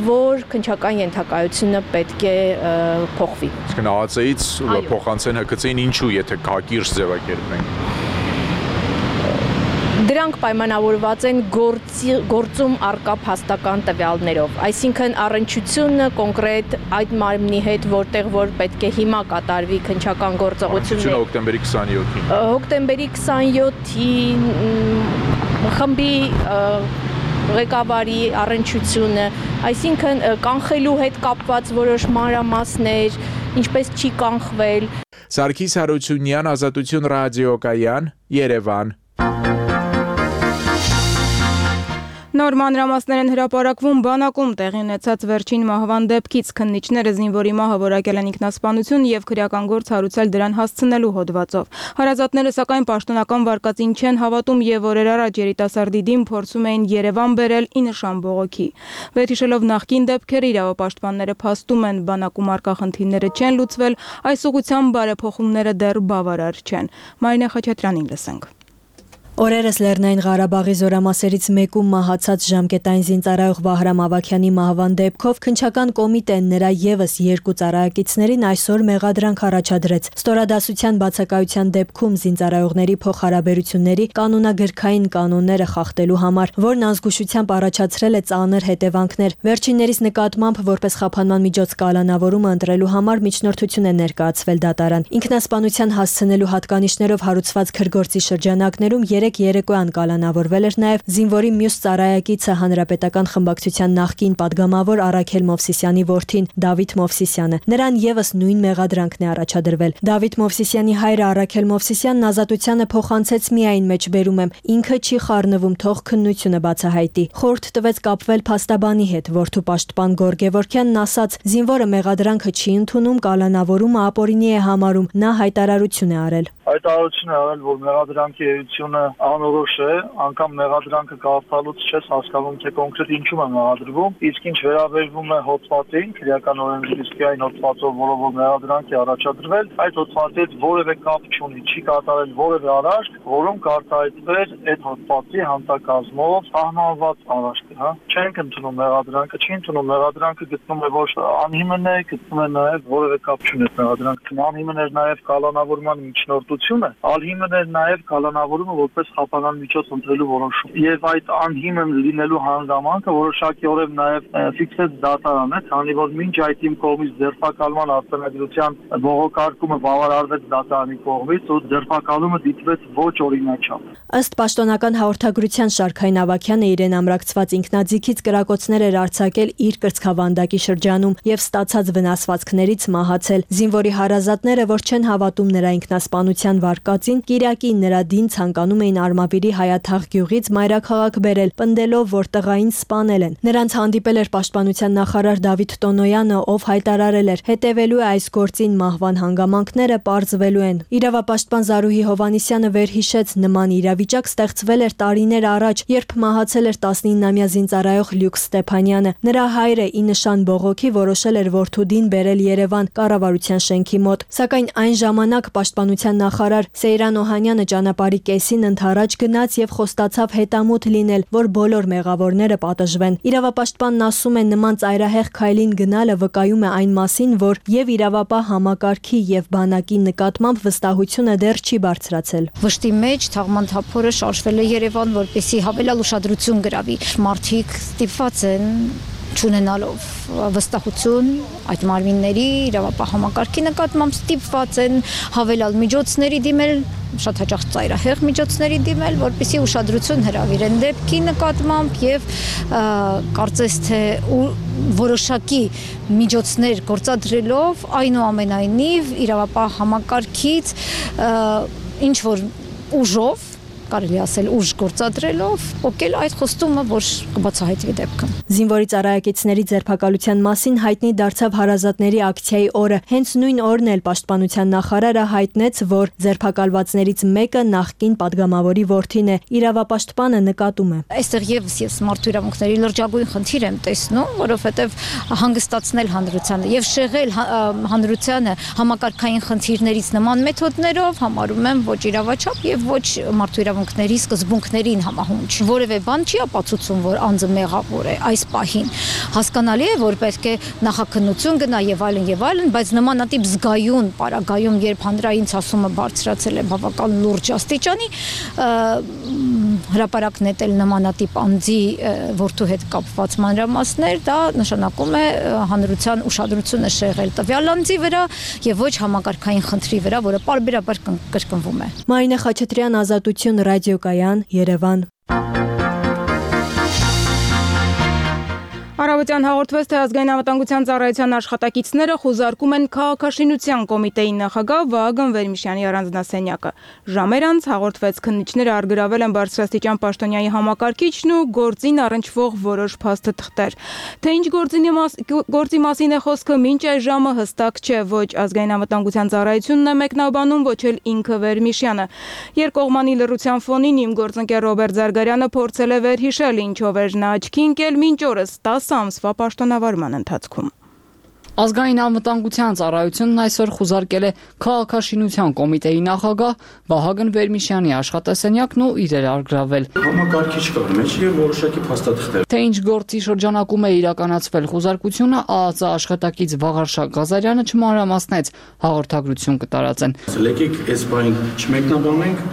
որ քննչական ենթակայությունը պետք է փոխվի։ Իսկ ԱԱԾ-ից փոխանցեն Հ K C-ին ինչու, եթե կակիրճ ձևակերպենք։ Դրանք պայմանավորված են գործի, գործում առկա փաստական տվյալներով, այսինքն առնչությունը կոնկրետ այդ մարմնի հետ, որտեղ որ պետք է հիմա կատարվի քննչական գործողությունը հոկտեմբերի քսանյոթին։ Հոկտեմբերի քսանյոթին խմբի ղեկավարի առնչությունը, այսինքն կանխելու հետ կապված որոշ մանրամասներ, ինչպես չի կանխվել։ Սարգիս Հարությունյան, Ազատություն ռադիոկայան, Երևան։ Նոր մանրամասներ են հրապարակվում բանակում տեղի ունեցած վերջին մահվան դեպքից։ Քննիչները զինվորի մահը որակել են ինքնասպանություն եւ քրեական գործ հարուցել դրան հասցնելու հոդվածով։ Հարազատները սակայն պաշտոնական վարկածին չեն հավատում եւ օրեր առաջ երիտասարդի դեմ փորձում էին Երևան բերել ի նշան բողոքի։ Վերհիշելով նախկին դեպքերը իրավապաշտպանները փաստում են բանակում արկա խնդիրները չեն լուծվել, այս ուղղությամբ բարեփոխումները դեռ բավարար չեն։ Մարինե Խաչատրյանին լսենք։ Օրերս Լեռնային Ղարաբաղի զորամասերից մեկում մահացած ժամկետային զինծառայող Վահրամ Ավագյանի մահվան դեպքով քննչական կոմիտեն նրա ևս երկու ծառայակիցներին այսօր մեղադրանք առաջադրեց։ Ստորադասության բացակայության դեպքում զինծառայողների փոխհարաբերությունների կանոնագրքային կանոնները խախտելու համար, որն ազգուշությամբ առաջացրել է ծանր հետևանքներ։ Վերջիններիս նկատմամբ որպես խափանման միջոց կալանավորումը ընտրելու համար միջնորդություն է ներկայացվել դատարան։ Ինքնասպանության հասցնելու հատկանիշներով հարուցված քրգործի շրջանակներում երեք երեկոյան կալանավորվել էր նաև զինվորի մյուս ծառայակիցը հանրապետական խմբակցության նախկին падգամավոր Արաքել Մովսիսյանի որդին Դավիթ Մովսիսյանը։ Նրան ևս նույն մեղադրանքն է առաջադրվել։ Դավիթ Մովսիսյանի հայրը Արաքել Մովսիսյանն ազատությանը փոխանցեց միայն մեջբերում եմ, ինքը չի խառնվում, թող քննությունը բացահայտի։ Խորհուրդ տվեց կապվել փաստաբանի հետ, որդու պաշտպան Գորգ Գևորգյանն ասաց, զինվորը մեղադրանքը չի ընդունում, կալանավորումը ապօրինի է համարում, նա հայտարարություն է արել։ Հայտարարություն է արել, որ մեղադրանքի էությունը անորոշ է, անգամ մեղադրանքը կարդալուց չես հասկանում, թե կոնկրետ ինչու է մեղադրվում, իսկ ինչ վերաբերվում է հոդվածին, քրեական օրենսգրքի այն հոդվածով, որով որ մեղադրանք է առաջադրվել, այդ հոդվածի հետ որևէ կապ չունի, չի կատարել որևէ արարք, որում կարտահայտվեր այդ հոդվածի հանտակազմով սահմանված արարքը, հա։ Չենք ընդունում մեղադրանքը, չի ընդունում մեղադրանքը գտնում է ոչ անհիմն է, գտնում է նաև որևէ կապ չունի մեղադրանքը։ Անհիմն էր նաև կալանավորման միջնորդությունը, անհիմն էր նաև կալանավորումը որպես խափանան միջոց ընտրելու որոշում։ Եվ այդ անհիմն լինելու հանգամանքը որոշակիորեն նաև ֆիքսեց դատարանը, քանի որ մինչ այդ իմ կողմից ձերբակալման արձանագրության բողոքարկումը բավարարվեց դատարանի կողմից ու ձերբակալումը դիտվեց ոչ օրինաչափ։ Ըստ պաշտոնական հաղորդագրության Շարքային Ավագյանը իրեն ամրակցված ինքնաձիգից կրակոցներ էր արձակել իր կրծքավանդակի շրջանում եւ ստացած վնասվածքներից մահացել։ Զինվորի հարազատները, որ չեն հավատում նրա ինքնասպանության վարկածին, Կիրակին նրա դին ցանկանում էին Արմավիրի Հայաթաղ գյուղից մայրաքաղաք բերել, պնդելով, որ տղային սպանել են։ Նրանց հանդիպել էր պաշտպանության նախարար Դավիթ Տոնոյանը, ով հայտարարել էր. հետևելու է այս գործին մահվան հանգամանքները պարզվելու են։ Իրավապաշտպան Զարուհի Հովանիսյանը վերհիշեց, նման իրավիճակ ստեղծվել էր տարիներ առաջ, երբ մահացել էր տասնիննամյա զինծառայող Լյուկ Ստեփանյանը։ Նրա հայրը ի նշան բողոքի որոշել էր որդու դին բերել Երևան կառավարության շենքի մոտ, սակայն այն ժամանակ պաշտպանության նախարար Սեյրան Օհանյանը ճանապարհի կեսին ընդառաջ գնաց եւ խոստացավ հետամուտ լինել, որ բոլոր մեղավորները պատժվեն։ Իրավապաշտպանն ասում է, նման ծայրահեղ քայլին գնալը վկայում է այն մասին, որ եւ իրավապահ համակարգի եւ բանակի նկատմամբ վստահությունը դեռ չի բարձրացել։ Վշտի մեջ թաղման թափորը շարժվել է Երևան, որպեսզի հավելյալ ուշադրություն գրավի։ Մարդիկ ստիպված են չունենալով վստահություն այդ մարմինների իրավապահ համակարգի նկատմամբ ստիպված են հավելյալ միջոցների դիմել, շատ հաճախ ծայրահեղ միջոցների դիմել, որպեսզի ուշադրություն հրավիրեն դեպքի նկատմամբ եւ կարծես թե որոշակի միջոցներ գործադրելով այնուամենայնիվ իրավապահ համակարգից ինչ որ ուժով կարելի ասել ուժ գործադրելով օկել այդ խոստումը, որ կբացահայտվի դեպքը։ Զինվորի ծառայակիցների ձերբակալության մասին հայտնի դարձավ հարազատների ակցիայի օրը։ Հենց նույն օրն էլ պաշտպանության նախարարը հայտնեց, որ ձերբակալվածներից մեկը նախկին падգամավորի որդին է։ Իրավապաշտպանը նկատում է. Այստեղ եւս ես մարդու իրավունքների լրջագույն խնդիր եմ տեսնում, որովհետեւ հանգստացնել հանրությանը եւ շեղել հանրությանը համակարգային խնդիրներից նման մեթոդներով համարում եմ ոչ իրավաչափ եւ ոչ մարդու իրավունքների սկզբունքներին համահունչ։ Որևէ բան չի ապացուցում, որ անձը մեղավոր է այս պահին։ Հասկանալի է, որ պետք է նախաքննություն գնա եւ այլն եւ այլն, բայց նմանատիպ զգայուն պարագայում, երբ հանրային ցասումը բարձրացել է բավական լուրջ աստիճանի, հրապարակ նետել նմանատիպ անձի որդու հետ կապված մանրամասներ, դա նշանակում է հանրության ուշադրությունը շեղել տվյալ անձի վրա եւ ոչ համակարգային խնդրի վրա, որը պարբերաբար կրկնվում է։ Մարինե Խաչատրյան, Ազատություն, Ռադիոկայան, Երևան։ Առավոտյան հաղորդվեց, թե ազգային անվտանգության ծառայության աշխատակիցները խուզարկում են քաղաքաշինության կոմիտեի նախագահ Վահագն Վերմիշյանի առանձնասենյակը։ Ժամեր անց հաղորդվեց, քննիչները առգրավել են բարձրաստիճան պաշտոնյայի համակարգիչն ու գործին առնչվող որոշ փաստաթղթեր։ Թե ինչ գործի մասին է խոսքը, մինչ այս ժամը հստակ չէ, ոչ ազգային անվտանգության ծառայությունն է մեկնաբանում, ոչ էլ ինքը Վերմիշյանը։ Երկկողմանի լռության ֆոնին իմ գործընկեր Ռոբերտ Զարգարյանը փորձել է վերհիշել, ինչով էր նա աչքի ընկել մինչ օրս տասը ամսվա պաշտոնավարման ընթացքում։ Ազգային անվտանգության ծառայությունն այսօր խուզարկել է քաղաքաշինության կոմիտեի նախագահ Վահագն Վերմիշյանի աշխատասենյակն ու իրեր առգրավել։ Համակարգիչ կար մեջ եւ որոշակի փաստաթղթեր։ Թե ինչ գործի շրջանակում է իրականացվել խուզարկությունը, ԱԱԾ աշխատակից Վաղարշակ Ղազարյանը չմանրամասնեց, հաղորդագրություն կտարածեն։ Եկեք այս բանը չմեկնաբանենք,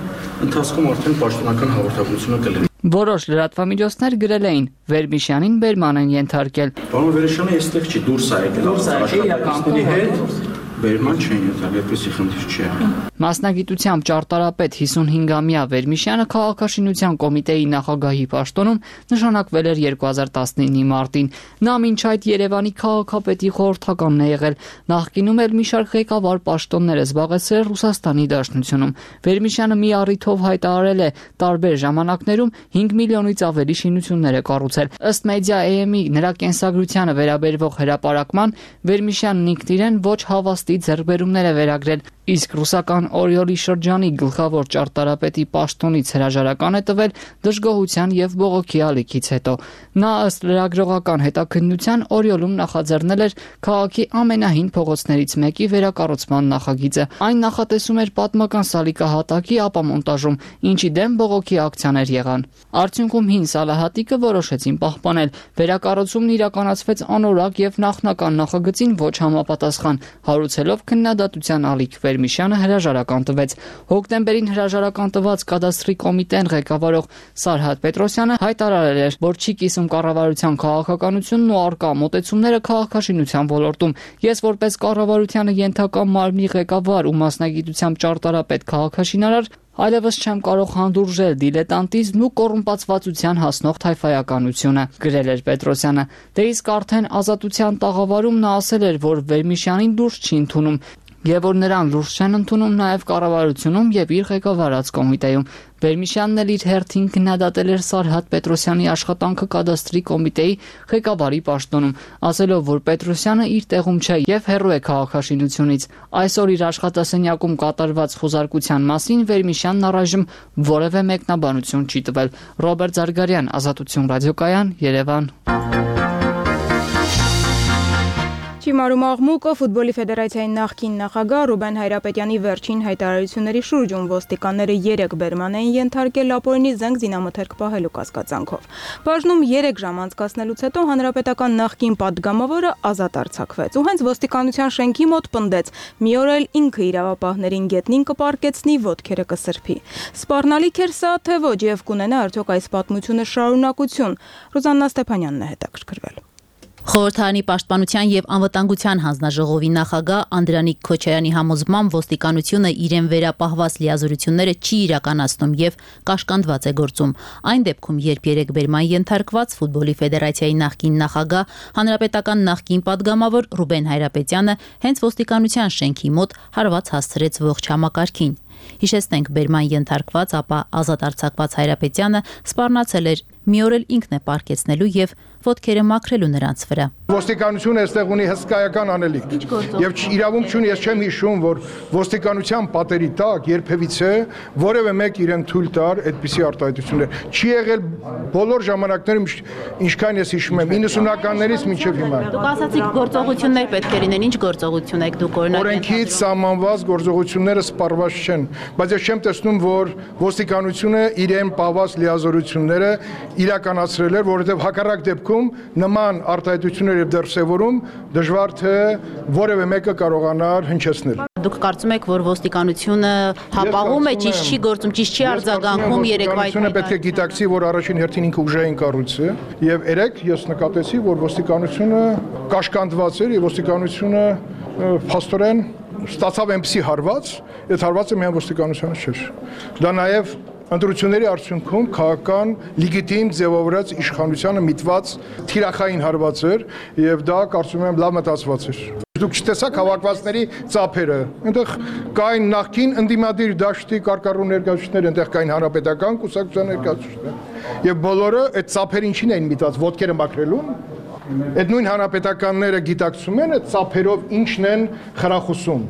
ընթացքում արդեն պաշտոնական հաղորդագրությունը կլինի։ Որոշ լրատվամիջոցներ գրել էին Վերմիշյանին բերման են ենթարկել։ Պարոն Վերմիշյանը այստեղ չի, դուրս է եկել, աշխատակիցների հետ բերման չեն եկել, այդպեսի խնդիր չի եղել։ Մասնագիտությամբ ճարտարապետ հիսունհինգամյա Վերմիշյանը քաղաքաշինության կոմիտեի նախագահի պաշտոնում նշանակվել էր երկու հազար տասնինի մարտին։ Նա մինչ այդ Երևանի քաղաքապետի խորհրդականն է եղել, նախկինում էլ մի շարք ղեկավար պաշտոններ է զբաղեցրել Ռուսաստանի Դաշնությունում։ Վերմիշյանը մի առիթով հայտարարել է տարբեր ժամանակներում հինգ միլիոնից ավելի շինություններ է կառուցել։ Ըստ Media-am-ի նրա կենսագրությանը վերաբերվող հրապարակման Վերմիշյանն ինքն իրեն ոչ հավաստի ձեռքբերումներ է վերագրել, իսկ ռուսական Օրիոլի շրջանի գլխավոր ճարտարապետի պաշտոնից հրաժարական է տվել դժգոհության եւ բողոքի ալիքից հետո։ Նա ըստ լրագրողական հետաքննության Օրիոլում նախաձեռնել էր քաղաքի ամենահին փողոցներից մեկի վերակառուցման նախագիծը։ Այն նախատեսում էր պատմական սալիկահատակի ապամոնտաժում, ինչի դեմ բողոքի ակցիաներ եղան։ Արդյունքում հին սալահատիկը որոշեցին պահպանել։ Վերակառուցումն իրականացվեց անորակ եւ նախնական նախագծին ոչ համապատասխան, հարուցելով քննադատության ալիք։ Վերմիշյանը հրաժարական տվեց։ Հոկտեմբերին հրաժարական տված կադաստրի կոմիտեն ղեկավարող Սարհատ Պետրոսյանը հայտարարել էր, որ չի կիսում կառավարության քաղաքականությունն ու արկա մոտեցումները քաղաքաշինության ոլորտում։ Ես որպես կառավարությանը ենթակա մարմնի ղեկավար ու մասնագիտությամբ ճարտարապետ քաղաքաշինարար այլևս չեմ կարող հանդուրժել դիլետանտիզմն ու կոռումպացվածության հասնող թայֆայականությունը, գրել էր Պետրոսյանը։ Դե իսկ արդեն ազատության տաղավարում նա ասել էր, որ Վերմիշյանին դուրս չի ընդունում եւ որ նրան լուրջ չեն ընդունում նաեւ կառավարությունում եւ իր ղեկավարած կոմիտեում։ Վերմիշյանն էլ իր հերթին քննադատել էր Սարհատ Պետրոսյանի աշխատանքը կադաստրի կոմիտեի ղեկավարի պաշտոնում, ասելով, որ Պետրոսյանը իր տեղում չէ եւ հեռու է քաղաքաշինությունից։ Այսօր իր աշխատասենյակում կատարված խուզարկության մասին Վերմիշյանն առայժմ որևէ մեկնաբանություն չի տվել։ Ռոբերտ Զարգարյան, Ազատություն ռադիոկայան, Երևան։ Չիմարում աղմուկը ֆուտբոլի ֆեդերացիայի նախկին նախագահ Ռուբեն Հայրապետյանի վերջին հայտարարությունների շուրջում ոստիկանները երեք բերման էին ենթարկել ապօրինի զենք զինամթերք պահելու կասկածանքով։ Բաժնում երեք ժամ անցկացնելուց հետո հանրապետական նախկին падգամավորը ազատ արձակվեց ու հենց ոստիկանության շենքի մոտ պնդեց՝ մի օր էլ ինքը իրավապահներին գետնին կպարկեցնի, ոտքերը կսրբի։ Սպառնալիք էր սա, թե ոչ, եւ կունենա արդյոք այս պատմությունը շարունակություն։ Ռուզաննա Ստեփանյանն է հետաքրքրվել։ Խորհրդարանի պաշտպանության եւ անվտանգության հանձնաժողովի նախագահ Անդրանիկ Քոչարյանի համոզմամբ ոստիկանությունը իրեն վերապահված լիազորությունները չի իրականացնում եւ կաշկանդված է գործում։ Այն դեպքում, երբ երեք բերման ենթարկված ֆուտբոլի ֆեդերացիայի նախկին նախագահ, հանրապետական նախկին падգամավոր Ռուբեն Հայրապետյանը հենց ոստիկանության շենքի մոտ հարված հասցրեց ողջ համակարգին։ Հիշեցնենք, բերման ենթարկված, ապա ազատ արձակված Հայրապետյանը սպառնացել էր, մի օր էլ ինքն է պարկեցնելու եւ ոտքերը մաքրելու նրանց վրա։ Ոստիկանությունը այստեղ ունի հսկայական անելիք եւ իրավունք չունի, ես չեմ հիշում, որ ոստիկանության պատերի տակ երբևիցե որևէ մեկ իրեն թույլ տար այդպիսի արտահայտություններ։ Չի եղել բոլոր ժամանակներում, ինչքան ես հիշում եմ, իննսունականներից մինչև հիմա։ Դուք ասացիք գործողություններ պետք է լինեն, ինչ գործողություն եք դուք օրինակ։ Օրենքից սահմանված գործողությունները սպառված չեն, բայց ես չեմ տեսնում, որ ոստիկանությունը իրեն պահված լիազորությունները իրականացրել էր, որովհետև հակառակ դեպքում նման արտահայտություններ եւ դրսեւորում դժվար թե որևէ մեկը կարողանար հնչեցնել։ Դուք կարծում եք, որ ոստիկանությունը հապաղում է, ճիշտ չի գործում, ճիշտ չի արձագանքում երեկվա այդ։ Ոստիկանությունը պետք է գիտակցի, որ առաջին հերթին ինքը ուժային կառույց է, եւ երեք ես նկատեցի, որ ոստիկանությունը կաշկանդված էր եւ ոստիկանությունը փաստորեն ստացավ այնպիսի հարված, այդ հարվածը միայն ոստիկանությանը չէր։ Դա նաեւ ընտրությունների արդյունքում քաղաքական լեգիտիմ ձևավորած իշխանությանը միտված թիրախային հարված էր եւ դա կարծում եմ լավ մտածված էր։ Դուք չտեսաք հավաքվածների ծափերը։ Այնտեղ կային նախկին ընդդիմադիր դաշտի կարկառու ներկայացուցիչներ, այնտեղ կային հանրապետական կուսակցության ներկայացուցիչներ։ Եվ բոլորը այդ ծափերը ինչին էին միտված, ոտքերը մաքրելուն։ Այդ նույն հանրապետականները գիտակցում են այդ ծափերով ինչն են խրախուսում։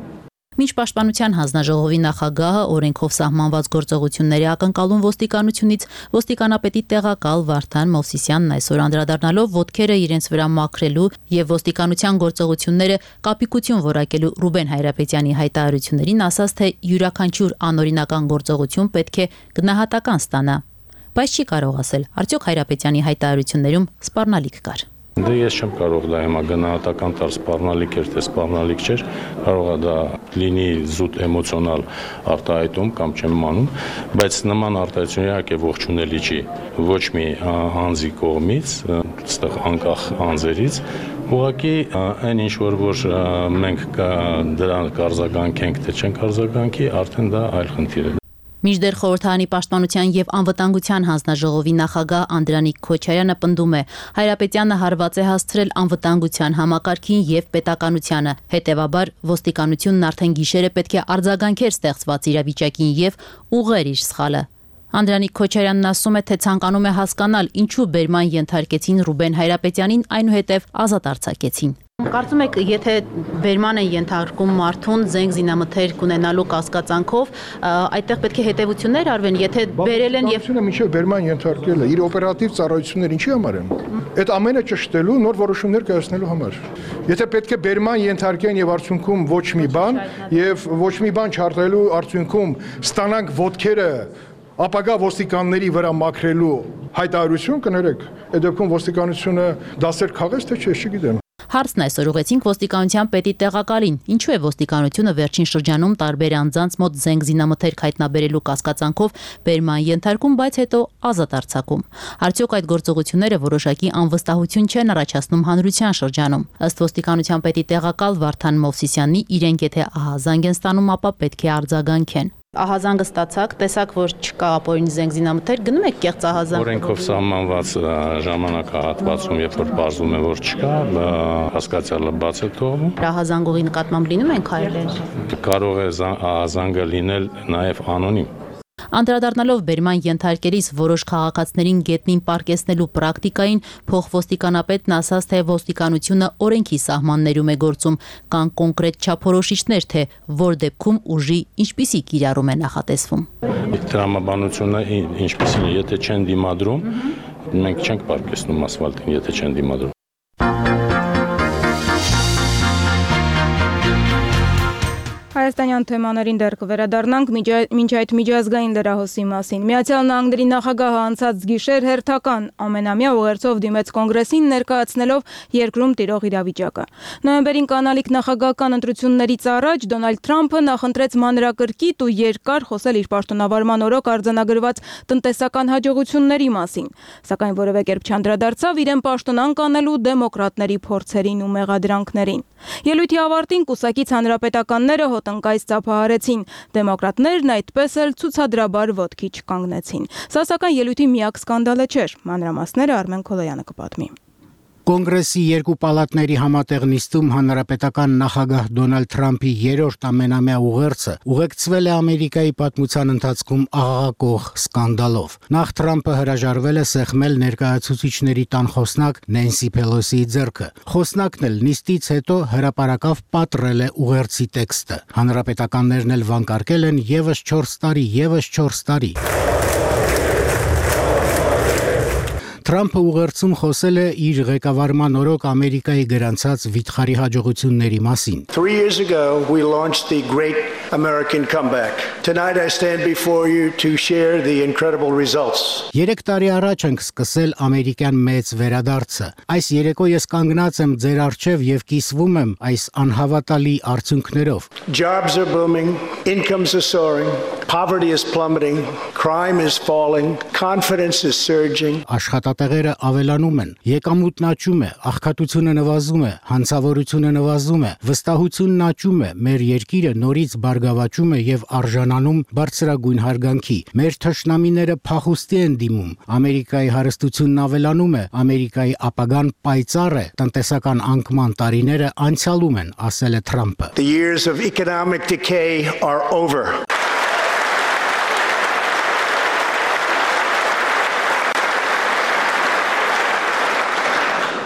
Մինչ պաշտպանության հանձնաժողովի նախագահը օրենքով սահմանված գործողությունների ակնկալում ոստիկանությունից, ոստիկանապետի տեղակալ Վարդան Մովսիսյանն այսօր անդրադառնալով ոտքերը իրենց վրա մաքրելու եւ ոստիկանության գործողությունները կապիկություն որակելու Ռուբեն Հայրապետյանի հայտարարություններին ասաց, թե յուրաքանչյուր անօրինական գործողություն պետք է գնահատական ստանա, բայց չի կարող ասել, արդյոք Հայրապետյանի հայտարարություններում սպառնալիք կար։ Դե ես չեմ կարող դա հիմա գնահատական տալ սպառնալիք էր, թե սպառնալիք չէր, կարող է դա լինի զուտ էմոցիոնալ արտահայտում կամ չեմ մանում, բայց նման արտահայտություն իհարկե ողջունելի չի ոչ մի անձի կողմից, այստեղ անկախ անձերից, ուղղակի այն ինչ որ որ մենք դրան կարձագանքենք, թե չենք արձագանքի, արդեն դա այլ խնդիր է։ Մինչդեռ խորհրդարանի պաշտպանության եւ անվտանգության հանձնաժողովի նախագահ Անդրանիկ Քոչարյանը պնդում է, Հայրապետյանը հարված է հասցրել անվտանգության համակարգին եւ պետականությանը, հետեւաբար ոստիկանությունն արդեն գիշերը պետք է արձագանքեր ստեղծված իրավիճակին եւ ուղղեր իր սխալը։ Անդրանիկ Քոչարյանն ասում է, թե ցանկանում է հասկանալ, ինչու բերման ենթարկեցին Ռուբեն Հայրապետյանին, այնուհետև ազատ արձակեցին։ Կարծում եք, եթե բերման են ենթարկում մարդուն զենք զինամթերք ունենալու կասկածանքով, այդտեղ պետք է հետևություններ արվեն, եթե բերել են եւ մինչեւ բերման ենթարկելը իր օպերատիվ ծառայություններ ինչի համար են։ Այդ ամենը ճշտելու, նոր որոշումներ կայացնելու համար։ Եթե պետք է բերման ենթարկեն եւ արդյունքում ոչ մի բան եւ ոչ մի բան չարտելու արդյունքում ստանանք ոտքերը ապագա ոստիկանների վրա մաքրելու հայտարարություն կներեք, այդ դեպքում ոստիկանությունը դասեր քաղեց, թե չէ, չգիտեմ։ Հարցն այսօր ուղեցինք ոստիկանության պետի տեղակալին, ինչու է ոստիկանությունը վերջին շրջանում տարբեր անձանց մոտ զենք զինամթերք հայտնաբերելու կասկածանքով բերման ենթարկում, բայց հետո ազատ արձակում։ Արդյոք այդ գործողությունները որոշակի անվստահություն չեն առաջացնում հանրության շրջանում։ Ըստ ոստիկանության պետի տեղակալ Վարդան Մովսիսյանի, իրենք եթե ահազանգ են ստանում, ապա պետք է արձագանքեն։ Ահազանգը ստացաք, տեսակ, որ չկա ապօրինի զենք զինամթերք, գնում եք կեղծ ահազանգ։ Օրենքով սահմանված ժամանակահատվածում, երբ որ բարձում է, որ չկա, հասկացյալը բաց է թողնում։ Ահազանգողի նկատմամբ լինում են քայլեր։ Կարող է ահազանգը լինել նաև անոնիմ։ Անդրադառնալով բերման ենթարկելիս որոշ քաղաքացիներին գետնին պարկեսնելու պրակտիկային, փոխոստիկանապետն ասաց, թե ոստիկանությունը օրենքի սահմաններում է գործում, կան կոնկրետ չափորոշիչներ, թե որ դեպքում ուժի ինչպիսի կիրառում է նախատեսվում։ Տրամաբանությունը ինչպիսին է, եթե չեն դիմադրում, մենք չենք պարկեսնում ասֆալտին, եթե չեն դիմադրում։ Հայաստանյան թեմաներին դեռ կվերադառնանք մինչ այդ միջազգային լրահոսի մասին։ Միացյալ Նահանգների նախագահը անցած գիշեր հերթական ամենամյա ուղերձով դիմեց կոնգրեսին ներկայացնելով երկրում տիրող իրավիճակը։ Նոյեմբերին կանալիք նախագահական ընտրություններից առաջ Դոնալդ Թրամփը նախընտրեց մանրակրկիտ ու երկար խոսել իր պաշտոնավարման օրոք արձանագրված տնտեսական հաջողությունների մասին, սակայն որևէ կերպ չանդրադարձավ իրեն պաշտոնանկ անելու դեմոկրատների փորձերին ու մեղադրանքներին։ Ելույթի ավարտին կուսակից հանրապետականները հոտնկայց ծափահարեցին, դեմոկրատներն այդպես էլ ցուցադրաբար ոտքի չկանգնեցին։ Սա սակայն ելույթի միակ սկանդալը չէր, մանրամասները Արմեն Քոլոյանը կպատմի։ Կոնգրեսի երկու պալատների համատեղ նիստում հանրապետական նախագահ Դոնալդ Թրամփի երրորդ ամենամյա ուղերձը ուղեկցվել է Ամերիկայի պատմության ընթացքում աղաղակող սկանդալով։ Նախ Թրամփը հրաժարվել է սեղմել ներկայացուցիչների տան խոսնակ Նենսի Փելոսիի ձեռքը։ Խոսնակն էլ նիստից հետո հրապարակավ պատռել է ուղերձի տեքստը։ Հանրապետականներն էլ վանկարկել են եւս չորս տարի, եւս չորս տարի։ Թրամփը ուղերձում խոսել է իր ղեկավարման օրոք Ամերիկայի գրանցած վիթխարի հաջողությունների մասին։ Three years ago we launched the great American comeback. Tonight I stand before you to share the incredible results. Երեք տարի առաջ ենք սկսել ամերիկյան մեծ վերադարձը։ Այս երեկո ես կանգնած եմ ձեր առջև եւ կիսվում եմ այս անհավատալի արդյունքներով։ Jobs are booming, incomes are soaring, poverty is plummeting, crime is falling, confidence is surging. Աշխատատեղերը ավելանում են, եկամուտն աճում է, աղքատությունը նվազում է, հանցավորությունը նվազում է, վստահությունն աճում է, մեր երկիրը նորից բարգավաճում է եւ արժանանում բարձրագույն հարգանքի։ Մեր թշնամիները փախուստի են դիմում, Ամերիկայի հարստությունն ավելանում է, Ամերիկայի ապագան պայծառ է, տնտեսական անկման տարիները անցյալում են, ասել է Թրամփը։ The years of economic decay are over.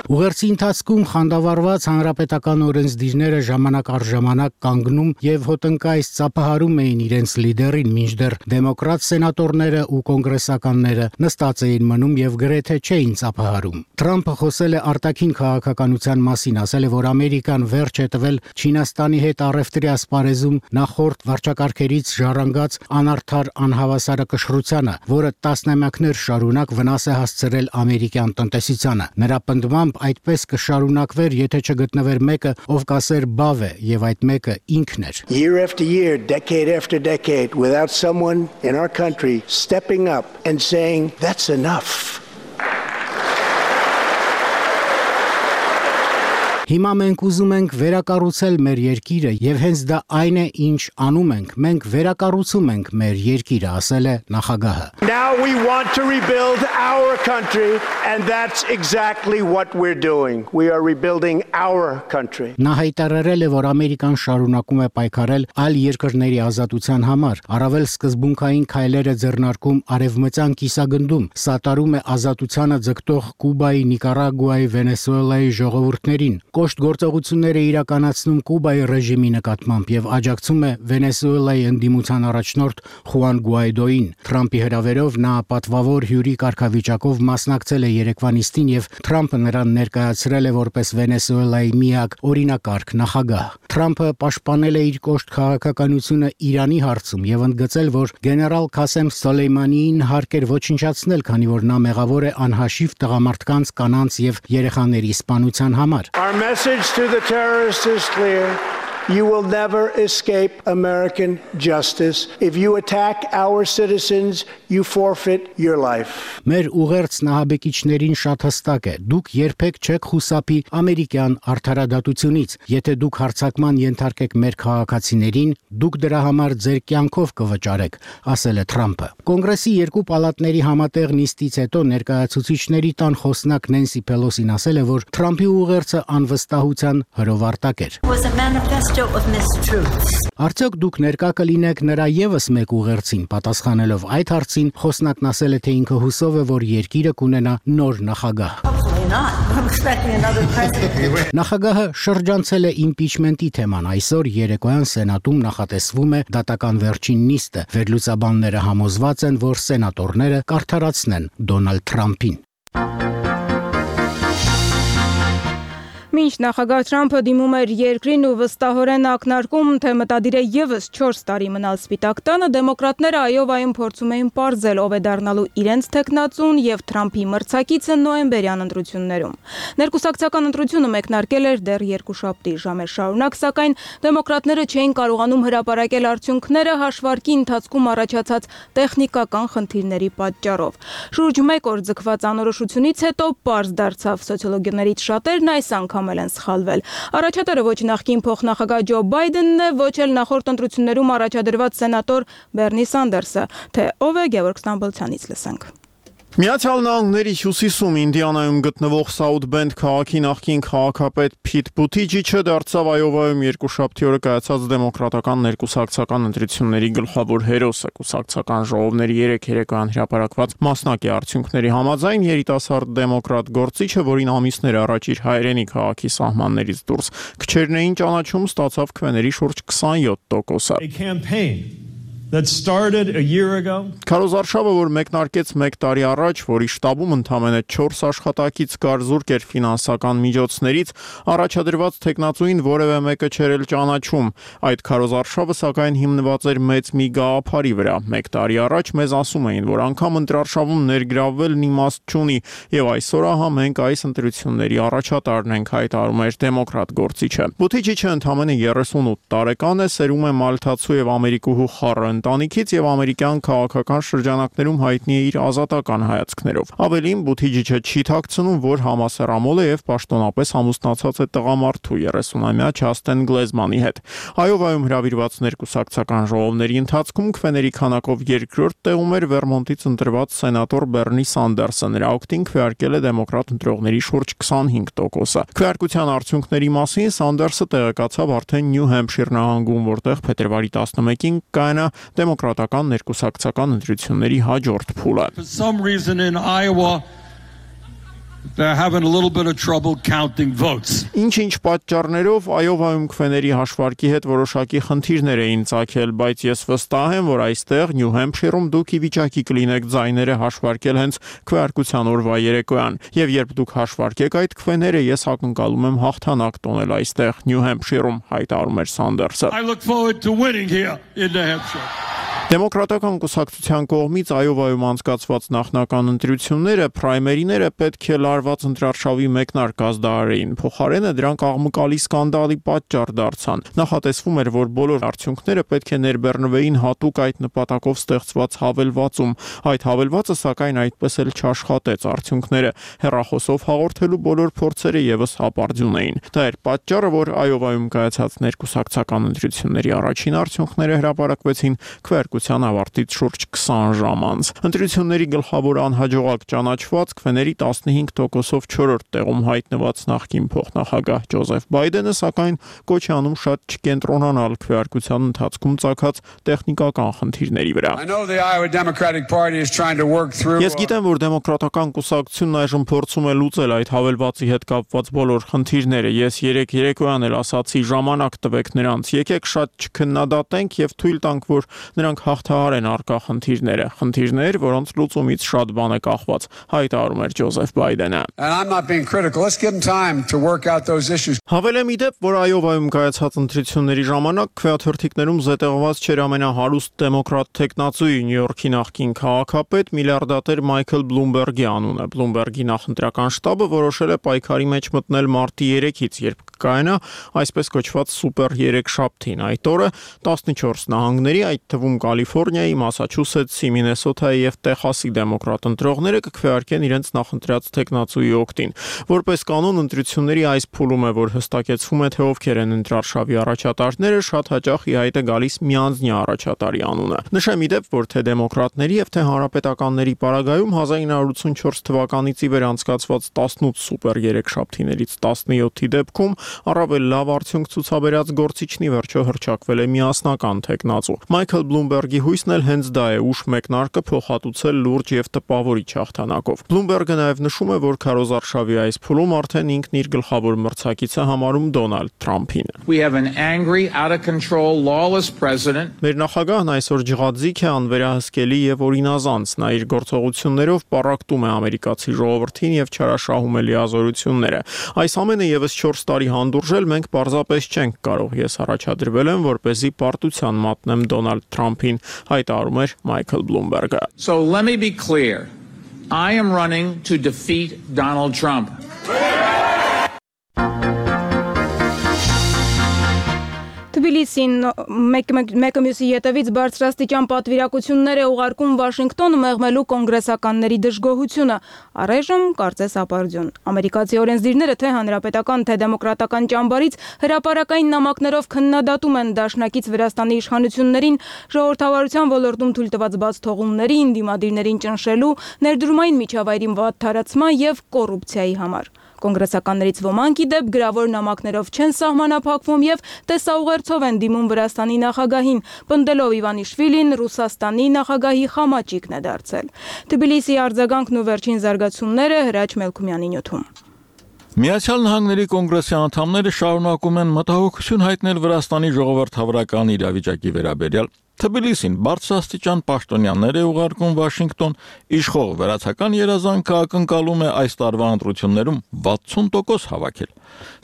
Ուղերձի ընթացքում խանդավառված հանրապետական օրենսդիրները ժամանակ առ ժամանակ կանգնում եւ հոտնկայս ծափահարում էին իրենց լիդերին, մինչդեռ դեմոկրատ սենատորները ու կոնգրեսականները նստած էին մնում եւ գրեթե չէին ծափահարում։ Թրամփը խոսել է արտաքին քաղաքականության մասին, ասել է, որ Ամերիկան վերջ է տվել Չինաստանի հետ առևտրի ասպարեզում նախորդ վարչակարգերից ժառանգած անարդար անհավասարակշռությանը, որը տասնամյակներ շարունակ վնաս է հասցրել ամերիկյան տնտեսությանը։ Նրա պնդմամբ այդպես կշարունակվեր, եթե չգտնվեր մեկը, ով կասեր բավ է, եւ այդ մեկը ինքն էր։ Year after year, decade after decade, without someone in our country stepping up and saying, that's enough. Հիմա մենք ուզում ենք վերակառուցել մեր երկիրը եւ հենց դա այն է, ինչ անում ենք։ Մենք վերակառուցում ենք մեր երկիրը, ասել է նախագահը։ Now we want to rebuild our country and that's exactly what we're doing. We are rebuilding our country. Նա հայտարարել է, որ Ամերիկան շարունակում է պայքարել այլ երկրների ազատության համար, առավել սկզբունքային քայլեր է ձեռնարկում արևմտյան կիսագնդում, սատարում է ազատությանը ձգտող Կուբայի, Նիկարագուայի, Վենեսուելայի ժողովուրդներին, կոշտ գործողություններ է իրականացնում Կուբայի ռեժիմի նկատմամբ եւ աջակցում է Վենեսուելայի ընդդիմության առաջնորդ Խուան Գուայդոին։ Թրամփի հրավերով նա պատվավոր հյուրի կարգավիճակով մասնակցել է երեկվա նիստին եւ Թրամփը նրան ներկայացրել է որպես Վենեսուելայի միակ օրինակարգ նախագահ։ Թրամփը պաշտպանել է իր կոշտ քաղաքականությունը Իրանի հարցում եւ ընդգծել, որ գեներալ Քասեմ Սոլեյմանիին հարկ էր ոչնչացնել, քանի որ նա մեղավոր է անհաշիվ տղամարդկանց, կանանց եւ երեխաների սպանության համար։ Our message to the terrorists is clear. You will never escape American justice. If you attack our citizens, you forfeit your life. Մեր ուղերձն ահաբեկիչներին շատ հստակ է։ Դուք երբեք չեք խուսափի ամերիկյան արդարադատությունից։ Եթե դուք հարձակման ենթարկեք մեր քաղաքացիներին, դուք դրա համար ձեր կյանքով կվճարեք, ասել է Թրամփը։ Կոնգրեսի երկու պալատների համատեղ նիստից հետո ներկայացուցիչների տան խոսնակ Նենսի Պելոսին ասել է, որ Թրամփի ուղերձը անվստահության հրովարտակ էր։ Արդյոք դուք ներկա կլինեք նրա եւս մեկ ուղերձին, պատասխանելով այդ հարցին, խոսնակն ասել է, թե ինքը հուսով է, որ երկիրը կունենա նոր նախագահ։ Նախագահը շրջանցել է իմպիչմենտի թեման։ Այսօր երեկոյան Սենատում նախատեսվում է դատական վերջին նիստը։ Վերլուծաբանները համոզված են, որ սենատորները կարդարացնեն Դոնալդ Թրամփին։ Մինչ նախագահ Թրամփը դիմում էր երկրին ու վստահորեն ակնարկում, թե մտադիր է եւս չորս տարի մնալ Սպիտակ տանը, դեմոկրատները Այովայում փորձում էին պարզել, ով է դառնալու իրենց թեկնածուն եւ Թրամփի մրցակիցը նոյեմբերյան ընտրություններում։ Ներկուսակցական ընտրությունը մեկնարկել էր դեռ երկուշաբթի ժամեր շարունակ, սակայն դեմոկրատները չէին կարողանում հրապարակել արդյունքները հաշվարկի ընթացքում առաջացած տեխնիկական խնդիրների պատճառով։ Շուրջ մեկ օր ձգված անորոշությունից հետո պարզ դարձավ սոցիոլոգներից շատերն այս անգամ են սխալվել։ Առաջատարը ոչ նախկին փոխնախագահ Ջո Բայդենն է, ոչ էլ նախորդ ընտրություններում առաջադրված սենատոր Բերնի Սանդերսը, թե ով է Գևորգ Ստամբոլցյանից լսենք։ Միացյալ Նահանգների հյուսիսում Ինդիանայում գտնվող Սաութ Բենդ քաղաքի նախկին քաղաքապետ Փիթ Բութիջիչը դարձավ Այովայում երկուշաբթի օրը կայացած դեմոկրատական ներկուսակցական ընտրությունների գլխավոր հերոսը։ Կուսակցական ժողովների երեք երեկոյան հրապարակված մասնակի արդյունքների համաձայն երիտասարդ դեմոկրատ գործիչը, որին ամիսներ առաջ իր հայրենի քաղաքի սահմաններից դուրս քչերն էին ճանաչում, ստացավ քվեների շուրջ քսանյոթ տոկոսը։ That started a year ago. Քարոզ Արշավը, որ մեկնարկեց մեկ տարի առաջ, որի շտաբում ընդամենը չորս աշխատակից կար զուրկ էր ֆինանսական միջոցներից, առաջադրված տեխնացուին որևէ մեկը չէր էլ ճանաչում։ Այդ քարոզ Արշավը սակայն հիմնված էր մեծ մի գաղափարի վրա։ Մեկ տարի առաջ մեզ ասում էին, որ անգամ ընտրարշավում ներգրավվելն իմաստ չունի, եւ այսօր ահա մենք այս ընտրությունների առաջատարն ենք, հայտարարում էր դեմոկրատ գործիչը։ Բութիջիչը ընդամենը երեսունութ տարեկան է, սերում է մալթացու եւ ամերիկուհու խառը ընտանիքից եւ ամերիկյան քաղաքական շրջանակներում հայտնի է իր ազատական հայացքներով։ Ավելին, Բութիջիչը չի թաքցնում, որ համասեռամոլ է եւ պաշտոնապես ամուսնացած է տղամարդու երեսունամյա Չաստեն Գլեզմանի հետ։ Այովայում հրավիրված ներկուսակցական ժողովների ընթացքում քվեների քանակով երկրորդ տեղում էր Վերմոնտից ընտրված սենատոր Բերնի Սանդերսը։ Նրա օգտին քվեարկել է դեմոկրատ ընտրողների շուրջ քսանհինգ տոկոսը։ Քվեարկության արդյունքների մասին Սանդերսը տեղեկացավ արդեն Նյու Հեմփշիր նահանգում, որտեղ փետրվարի տասնմեկին կայանա դեմոկրատական ներկուսակցական ընտրությունների հաջորդ փուլը։ For some reason in Iowa they're having a little bit of trouble counting votes. Ինչ-ինչ պատճառներով Այովայում քվեների հաշվարկի հետ որոշակի խնդիրներ էին ծագել, բայց ես վստահ եմ, որ այստեղ Նյու Հեմփշիրում դուք ի վիճակի կլինեք ձայները հաշվարկել հենց քվեարկության օրվա երեկոյան, եւ երբ դուք հաշվարկեք այդ քվեները, ես ակնկալում եմ հաղթանակ տոնել այստեղ Նյու Հեմփշիրում, հայտարարում էր Սանդերսը։ I look forward to winning here in New Hampshire. Դեմոկրատական կուսակցության կողմից Այովայում անցկացված նախնական ընտրությունները պրայմերիները պետք է լարված ընտրարշավի մեկնարկած դարերին, փոխարենը դրանք աղմկալի սկանդալի պատճառ դարձան։ Նախատեսվում էր, որ բոլոր արդյունքները պետք է ներբեռնվեին հատուկ այդ նպատակով ստեղծված հավելվածում։ Այդ հավելվածը սակայն այդպես էլ չաշխատեց, արդյունքները հեռախոսով հաղորդելու բոլոր փորձերը եւս հապարդյուն էին։ Դա էր պատճառը, որ Այովայում կայացած ներկուսակցական ընտրությունների առաջին արդյունքները հրապարակվեցին քվեարկության ավարտից շուրջ քսան ժամ անց։ Ընտրությունների գլխավոր անհաջողակ ճանաչված քվեների տասնհինգ տոկոսով չորրորդ տեղում հայտնված նախկին փոխնախագահ Ջոզեֆ Բայդենը սակայն կոչ է անում շատ չկենտրոնանալ քվեարկության ընթացքում ծագած տեխնիկական խնդիրների վրա։ Ես գիտեմ, որ դեմոկրատական կուսակցությունն այժմ փորձում է լուծել այդ հավելվածի հետ կապված բոլոր խնդիրները։ Ես երեք երեկոյան էլ ասացի, ժամանակ տվեք նրանց, եկեք շատ չքննադատենք եւ թույլ տանք, որ նրանք հաղթահարեն արկա խնդիրները, խնդիրներ, որոնց լուծումից շատ բան է կախված, հայտարարում էր Ջոզեֆ Բայդենը։ Հավելեմ ի դեպ, որ Այովայում կայացած ընտրությունների ժամանակ քվեաթերթիկներում զետեղված չէր ամենահարուստ դեմոկրատ տեխնացուի Նյու Յորքի նախկին քաղաքապետ միլիարդատեր Մայքլ Բլումբերգի անունը։ Բլումբերգի նախընտրական շտաբը որոշել է պայքարի մեջ մտնել մարտի երեքից, երբ կկայանա այսպես կոչված սուպեր երեքշաբթին։ Այդ օրը տասնչորս նահանգների, այդ թվում Կալիֆոռնիայի, Մասաչուսեթսի, Մինեսոթայի եւ Տեխասի դեմոկրատ ընտրողները կքվեարկեն իրենց նախընտրած տեխնացուի օգտին։ Որպես կանոն ընտրությունների այս փուլում է, որ հստակեցվում է, թե ովքեր են ընտրարշավի առաջատարները, շատ հաճախ ի հայտ է գալիս միանձնյա առաջատարի անունը։ Նշեմ ի դեպ, որ թե դեմոկրատների եւ թե հանրապետականների պարագայում հազար ինը հարյուր ութսունչորս թվականից ի վեր անցկացված տասնութ սուպեր երեքշաբթիներից տասնյոթի դեպքում առավել լավ արդյունք ցուցաբերած գործիչն ի վերջո հռչակվել է միասնական տեխնացու։ Մայքլ Բլումբերգի հույսն էլ հենց դա է՝ ուշ մեկնարկը փոխհատուցել լուրջ եւ տպավորիչ հաղթանակով։ Բլումբերգը նաեւ նշում է, որ քարոզարշավի այս փուլում արդեն ինքն իր գլխավոր մրցակիցը համարում Դոնալդ Թրամփին։ Մեր նախագահն այսօր ջղաձիգ է, անվերահսկելի եւ օրինազանց։ Նա իր գործողություններով պառակտում է ամերիկացի ժողովրդին եւ չարաշահում է լիազորությունները։ Այս ամենը եւս չորս տարի հանդուրժել մենք պարզապես չենք կարող։ Ես առաջադրվել եմ, որպեսզի պարտության մատնեմ Դոնալդ Թրամփին, հայտարարում էր Մայքլ Բլումբերգը։ So let me be clear. I am running to defeat Donald Trump. Թբիլիսին մեկը մյուսի ետևից բարձրաստիճան պատվիրակություններ է ուղարկում Վաշինգտոն մեղմելու կոնգրեսականների դժգոհությունը, առայժմ կարծես ապարդյուն։ Ամերիկացի օրենսդիրները թե հանրապետական, թե դեմոկրատական ճամբարից հրապարակային նամակներով քննադատում են Դաշնակից Վրաստանի իշխանություններին ժողովրդավարության ոլորտում թույլ տված բաց թողումներին, դիմադիրներին ճնշելու, ներդրումային միջավայրին վատթարացման եւ կոռուպցիայի համար։ Կոնգրեսականներից ոմանք ի դեպ գրավոր նամակներով չեն սահմանափակվում եւ տեսաուղերձով են դիմում Վրաստանի նախագահին, պնդելով Իվանիշվիլին Ռուսաստանի նախագահի խամաճիկն է դարձել։ Թբիլիսի արձագանքն ու վերջին զարգացումները Հրաչ Մելքումյանի նյութում։ Միացյալ Նահանգների կոնգրեսի անդամները շարունակում են մտահոգություն հայտնել Վրաստանի ժողովրդավարական իրավիճակի վերաբերյալ։ Թբիլիսին բարձրաստիճան պաշտոնյաներ է ուղարկում Վաշինգտոն, իշխող վերացական երազանքը ակնկալում է այս տարվա ընտրություններում վաթսուն տոկոս հավաքել։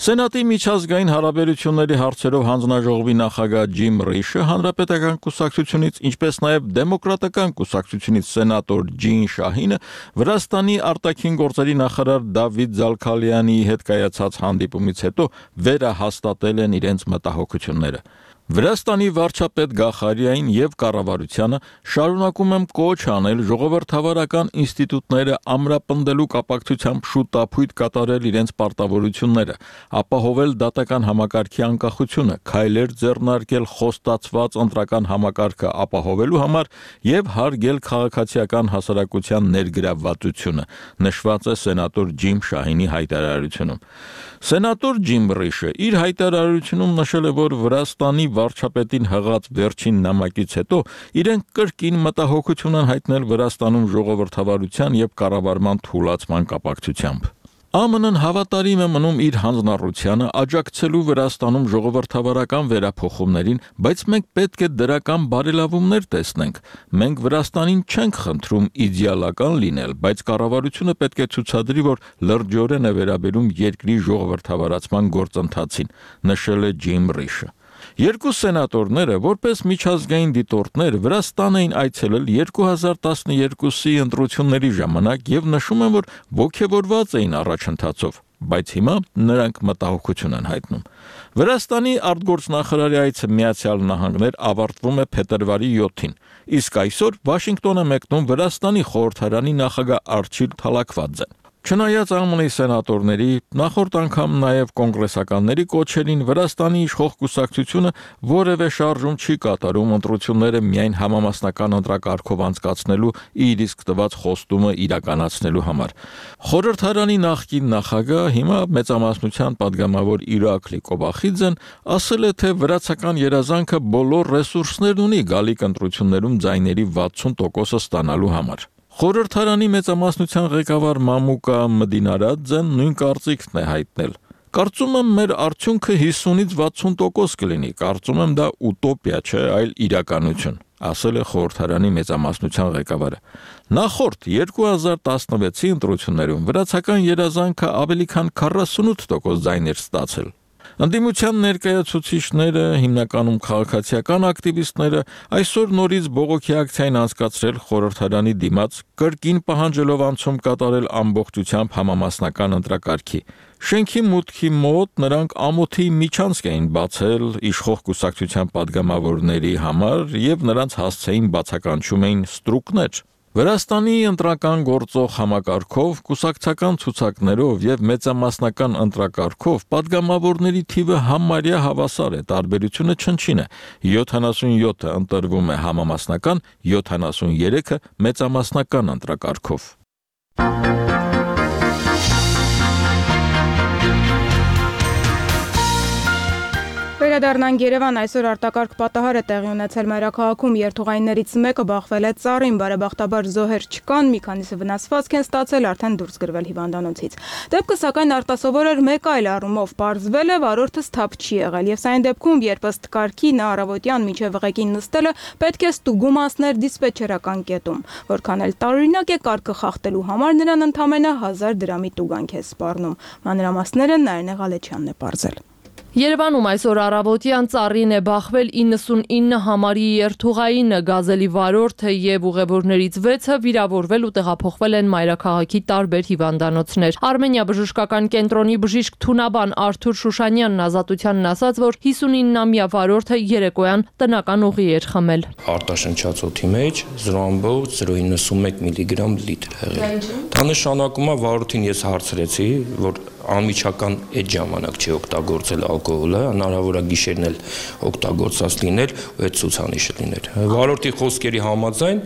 Սենատի միջազգային հարաբերությունների հարցերով հանձնաժողովի նախագահ Ջիմ Ռիշը հանրապետական կուսակցությունից, ինչպես նաև դեմոկրատական կուսակցությունից սենատոր Ջին Շահինը Վրաստանի արտաքին գործերի նախարար Դավիթ Զալքալյանի հետ կայացած հանդիպումից հետո վերահաստատել են իրենց մտահոգությունները։ Վրաստանի վարչապետ Գախարիային եւ կառավարությանը շարունակում եմ կոչ անել ժողովրդավարական ինստիտուտները ամրապնդելու կապակցությամբ շուտապույտ կատարել իրենց պարտավորությունները, ապահովել դատական համակարգի անկախությունը, քայլեր ձեռնարկել խոստացված ընտրական համակարգը ապահովելու համար եւ հարգել քաղաքացիական հասարակության ներգրավվածությունը, նշված է սենատոր Ջիմ Շահինի հայտարարությունում։ Սենատոր Ջիմ Ռիշը իր հայտարարությունում նշել է, որ Վրաստանի վարչապետին հղած վերջին նամակից հետո իրենք կրկին մտահոգություն են հայտնել Վրաստանում ժողովրդավարության եւ կառավարման թուլացման կապակցությամբ։ Ա Մ Ն-ն հավատարիմ է մնում իր հանձնառությանը աջակցելու Վրաստանում ժողովրդավարական վերափոխումներին, բայց մենք պետք է դրական բարելավումներ տեսնենք։ Մենք Վրաստանին չենք խնդրում իդեալական լինել, բայց կառավարությունը պետք է ցուցադրի, որ լրջորեն է վերաբերում երկրի ժողովրդավարացման գործընթացին, նշել է Ջիմ Ռիշը։ Երկու սենատորները, որպես միջազգային դիտորդներ, Վրաստան էին այցելել երկու հազար տասներկուսի ընտրությունների ժամանակ եւ նշում են, որ ոգևորված էին առաջընթացով, բայց հիմա նրանք մտահոգություն են հայտնում։ Վրաստանի արտգործնախարարի այցը Միացյալ Նահանգներ ավարտվում է փետրվարի յոթին, իսկ այսօր Վաշինգտոն է մեկնում Վրաստանի խորհրդարանի նախագահ Արչիլ Թալաքվաձեն։ Չնայած Ա Մ Ն-ի սենատորների, նախորդ անգամ նաև կոնգրեսականների կոչերին Վրաստանի իշխող կուսակցությունը որևէ շարժում չի կատարում ընտրությունները միայն համամասնական ընտրակարգով անցկացնելու իր իսկ տված խոստումը իրականացնելու համար։ Խորհրդարանի նախկին նախագահ, հիմա մեծամասնության падգամավոր Իրաքլի Կոբախիձեն ասել է, թե վրացական երազանքը բոլոր ռեսուրսներն ունի գալիք ընտրություններում ձայների վաթսուն տոկոսը ստանալու համար։ Խորհրդարանի մեծամասնության ղեկավար Մամուկա Մդինարաձեն նույն կարծիքն է հայտնել։ Կարծում եմ մեր արդյունքը հիսունից վաթսուն տոկոս կլինի, կարծում եմ դա ուտոպիա չէ, այլ իրականություն, ասել է խորհրդարանի մեծամասնության ղեկավարը։ Նախորդ երկու հազար տասնվեցի ընտրություններում վրացական երազանքը ավելի քան քառասունութ տոկոս ձայներ ստացել։ Ընդդիմության ներկայացուցիչները, հիմնականում քաղաքացիական ակտիվիստները, այսօր նորից բողոքի ակցիա են անցկացրել խորհրդարանի դիմաց, կրկին պահանջելով անցում կատարել ամբողջությամբ համամասնական ընտրակարգի։ Շենքի մուտքի մոտ նրանք ամոթի միջանցք էին բացել իշխող կուսակցության падգամավորների համար եւ նրանց հասցեին բացականչում էին ստրուկներ։ Վրաստանի ընտրական գործող համակարգով, կուսակցական ցուցակներով եւ մեծամասնական ընտրակարգով падգամավորների թիվը համարյա հավասար է, տարբերությունը չնչին է։ յոթանասունյոթը ընտրվում է համամասնական, յոթանասուներեքը մեծամասնական ընտրակարգով։ Վերադառնանք Երևան, այսօր արտակարգ պատահար է տեղի ունեցել մայրաքաղաքում, երթուղայիններից մեկը բախվել է ծառին, բարեբախտաբար զոհեր չկան, մի քանիսը վնասվածք են ստացել, արդեն դուրս գրվել հիվանդանոցից։ Դեպքը սակայն արտասովոր էր մեկ այլ առումով, պարզվել է վարորդը սթափ չի եղել, եւ սա այն դեպքում, երբ ըստ կարգի նա առավոտյան մինչև ղեկին նստելը պետք է ստուգում անցներ դիսպեչերական կետում, որքան էլ տարօրինակ է կարգը խախտելու համար նրան ընդամենը հազար դրամի տուգանք է սպառնում։ Մանրամասները Նարինե Ղալեչյանն է պարզել։ Երևանում այսօր առավոտյան ծառին է բախվել իննսունինը համարի երթուղայինը, գազելի վարորդը եւ ուղևորներից վեցը վիրավորվել ու տեղափոխվել են մայրաքաղաքի տարբեր հիվանդանոցներ։ Արմենիա բժշկական կենտրոնի բժիշկ թունաբան Արթուր Շուշանյանն Ազատությանն ասաց, որ հիսունինամյա վարորդը երեկոյան տնական ուղի էր խմել։ Արտաշնչած օդի մեջ զրո ամբողջ զրո իննսունմեկ միլիգրամ լիտր եղել։ Դա նշանակում է վարորդին ես հարցրեցի, որ անմիջական այդ ժամանակ չի օգտագործել ալկոհոլը, հնարավոր է գիշերն էլ օգտագործած լինել ու այդ ցուցանիշը լինել։ Վարորդի խոսքերի համաձայն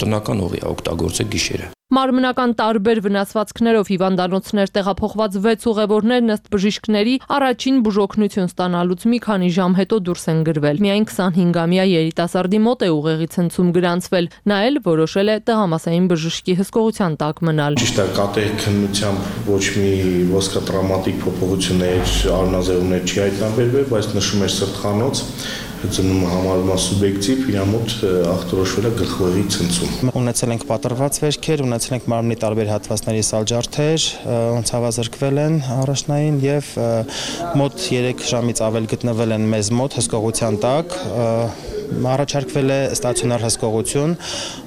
տնական ուղի է օգտագործել գիշերը։ Մարմնական տարբեր վնասվածքներով հիվանդանոցներ տեղափոխված վեց ուղևորներն ըստ բժիշկների առաջին բուժօգնություն ստանալուց մի քանի ժամ հետո դուրս են գրվել։ Միայն քսանհինգամյա երիտասարդի մոտ է ուղեղի ցնցում գրանցվել։ Նա էլ որոշել է տղամասային բժշկի հսկողության տակ մնալ։ Ճիշտ է, կատեղի քննությամբ ոչ մի ոսկրատրավմատիկ փոփոխություններ, արնազերումներ չի հայտնաբերվել, բայց նշում էր սրտխանոց ծնումը համարվում է սուբյեկտիվ, իր մոտ ախտորոշվել է գլխուղեղի ցնցում։ Ունեցել ենք պատրված վերքեր, ունեցել ենք մարմնի տարբեր հատվածների սալջարդեր, ցավազրկվել են առաջնային եւ մոտ երեք ժամից ավել գտնվել են մեզ մոտ հսկողության տակ, առաջարկվել է ստացիոնար հսկողություն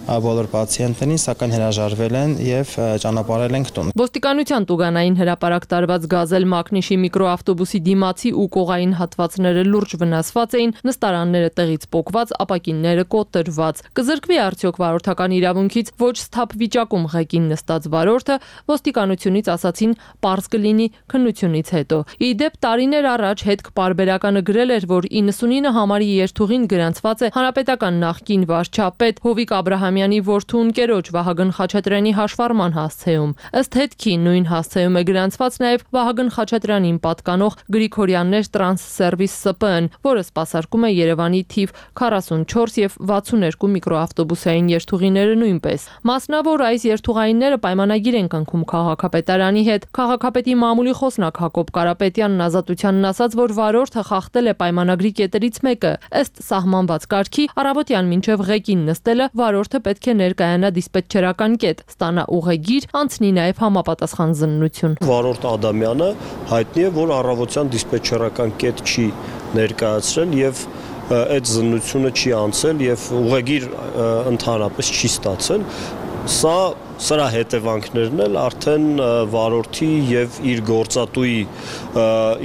բոլոր պացիենտներին, սակայն հրաժարվել են եւ ճանապարհել են տուն։ Ոստիկանության տուգանային հրապարակ տարված գազել մակնիշի միկրոավտոբուսի դիմացի ու կողային հատվածները լուրջ վնասված էին, նստարանները տեղից պոկված, ապակինները կոտրված։ Կզրկվի արդյոք վարորդական իրավունքից ոչ սթափ վիճակում ղեկին նստած վարորդը, ոստիկանությունից ասացին պարզ կլինի քննությունից հետո։ Ի դեպ տարիներ առաջ հետք պարբերականը գրել էր, որ իննսունինը համարի երթուղին գրանցված նշված է հանրապետական նախկին վարչապետ Հովիկ Աբրահամյանի որդու ընկերոջ Վահագն Խաչատրյանի հաշվառման հասցեում։ Ըստ հետքի նույն հասցեում է գրանցված նաև Վահագն Խաչատրյանին պատկանող Գրիգորյաններ տրանս սերվիս ՍՊԸ-ն, որը սպասարկում է Երևանի թիվ քառասունչորս եւ վաթսուներկու միկրոավտոբուսային երթուղիները նույնպես։ Մասնավոր այս երթուղայինները պայմանագիր են կնքում քաղաքապետարանի հետ։ Քաղաքապետի մամուլի խոսնակ Հակոբ Կարապետյանն ազատությանն ասաց, որ վարորդը խախտել է պայմանագրի կետերից մեկը։ Ըստ սահմանված կարգի առավոտյան մինչև ղեկին նստելը վարորդը պետք է ներկայանա դիսպետչերական կետ, ստանա ուղեգիր, անցնի նաև համապատասխան զննություն։ Վարորդ Ադամյանը հայտնի է, որ առավոտյան դիսպետչերական կետ չի ներկայացրել եւ այդ զննությունը չի անցել եւ ուղեգիր ընդհանրապես չի ստացել։ Սա սրա հետևանքներն էլ արդեն վարորդի եւ իր գործատուի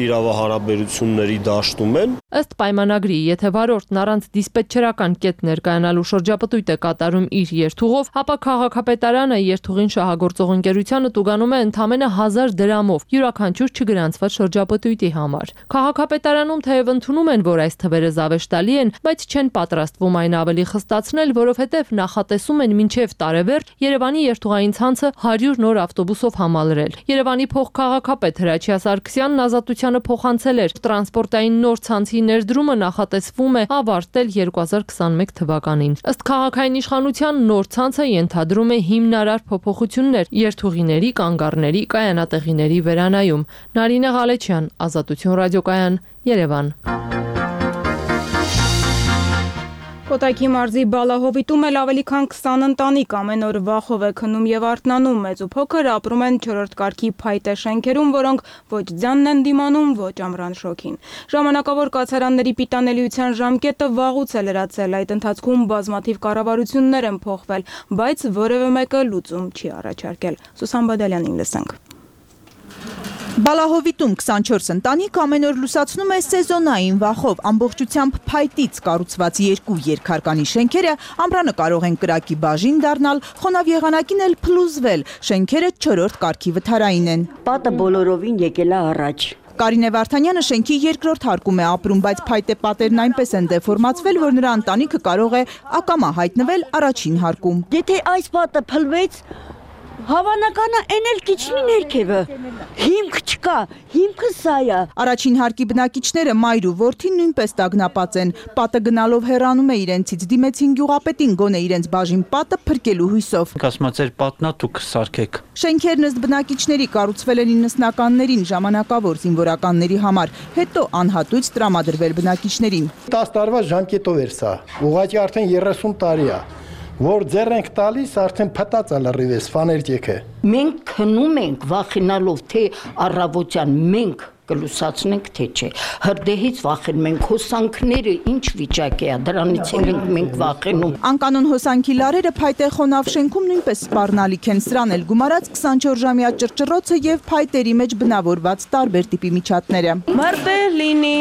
իրավահարաբերությունների դաշտում են։ Ըստ պայմանագրի, եթե վարորդն առանց դիսպետչերական կետ ներկայանալու շրջապտույտ է կատարում իր երթուղով, ապա քաղաքապետարանը երթուղին շահագործող ընկերությանը տուգանում է ընդամենը հազար դրամով յուրաքանչյուր չգրանցված շրջապտույտի համար։ Քաղաքապետարանում թեև ընդունում են, որ այս թվերը զավեշտալի են, բայց չեն պատրաստվում այն ավելի խստացնել, որովհետև նախատեսում են մինչև տարեվերջ Երևանի երթուղային ցանցը հարյուր նոր ավտոբուսով համալրել։ Երևանի փոխքաղաքապետ Հրաչյա Սարգսյանն ազատությանը փոխանցել էր տրանսպորտային նոր ցանցի ներդրումը նախատեսվում է ավարտել երկու հազար քսանմեկ թվականին։ Ըստ քաղաքային իշխանության նոր ցանցը ենթադրում է հիմնարար փոփոխություններ երթուղիների, կանգառների, կայանատեղիների վերանայում։ Նարինե Ղալեչյան, Ազատություն ռադիոկայան, Երևան։ Կոտայքի մարզի Բալահովիտում էլ ավելի քան քսան ընտանիք ամեն օր վախով է քնում եւ արթնանում, մեծ ու փոքր ապրում են չորրորդ կարգի փայտե շենքերում, որոնք ոչ ձյանն են դիմանում, ոչ ամռան շոգին։ Ժամանակավոր կացարանների պիտանելիության ժամկետը վաղուց է լրացել, այդ ընթացքում բազմաթիվ կառավարություններ են փոխվել, բայց որևէ մեկը լուծում չի առաջարկել։ Սուսան Բադալյանին լսենք։ Բալահովիտում քսանչորս ընտանիք ամեն օր լուսացնում է սեզոնային վախով, ամբողջությամբ փայտից կառուցված երկու երկհարկանի շենքերը ամռանը կարող են կրակի բաժին դառնալ, խոնավ եղանակին էլ փլուզվել, շենքերը չորրորդ կարգի վթարային են։ Պատը բոլորովին եկել է առաջ։ Կարինե Վարդանյանը շենքի երկրորդ հարկում է ապրում, բայց փայտե պատերն այնպես են դեֆորմացվել, որ նրա ընտանիքը կարող է ակամա հայտնվել առաջին հարկում։ Եթե այս պատը փլվեց, հավանականը են էլ կիչնի ներքևը, հիմք չկա, հիմքը սա է։ Առաջին հարկի բնակիչները մայր ու որդին նույնպես տագնապած են, պատը գնալով հեռանում է իրենցից, դիմեցին գյուղապետին գոնե իրենց բաժին պատը փրկելու հույսով։ Ասում ձեր պատնա դուք սարքեք։ Շենքերն ըստ բնակիչների կառուցվել են իննսնականներին ժամանակավոր զինվորականների համար, հետո անհատույց տրամադրվել բնակիչներին։ տասը տարվա ժամկետով էր սա, ուղղակի արդեն երեսուն տարի է։ Որ ձեր ենք տալիս, արդեն փտած է լրիվ էս ֆաներջեքը։ Մենք քնում ենք վախենալով, թե առավոտյան մենք կլուսացնենք, թե չէ։ Հրդեհից վախենում ենք, հոսանքները ինչ վիճակի է, դրանից ենք մենք վախենում։ Անկանոն հոսանքի լարերը փայտե խոնավ շենքում նույնպես սպառնալիք են, սրան էլ գումարած քսանչորս ժամյա ճռճռոցը եւ փայտերի մեջ բնավորված տարբեր տիպի միջատները։ Մարտեր լինի,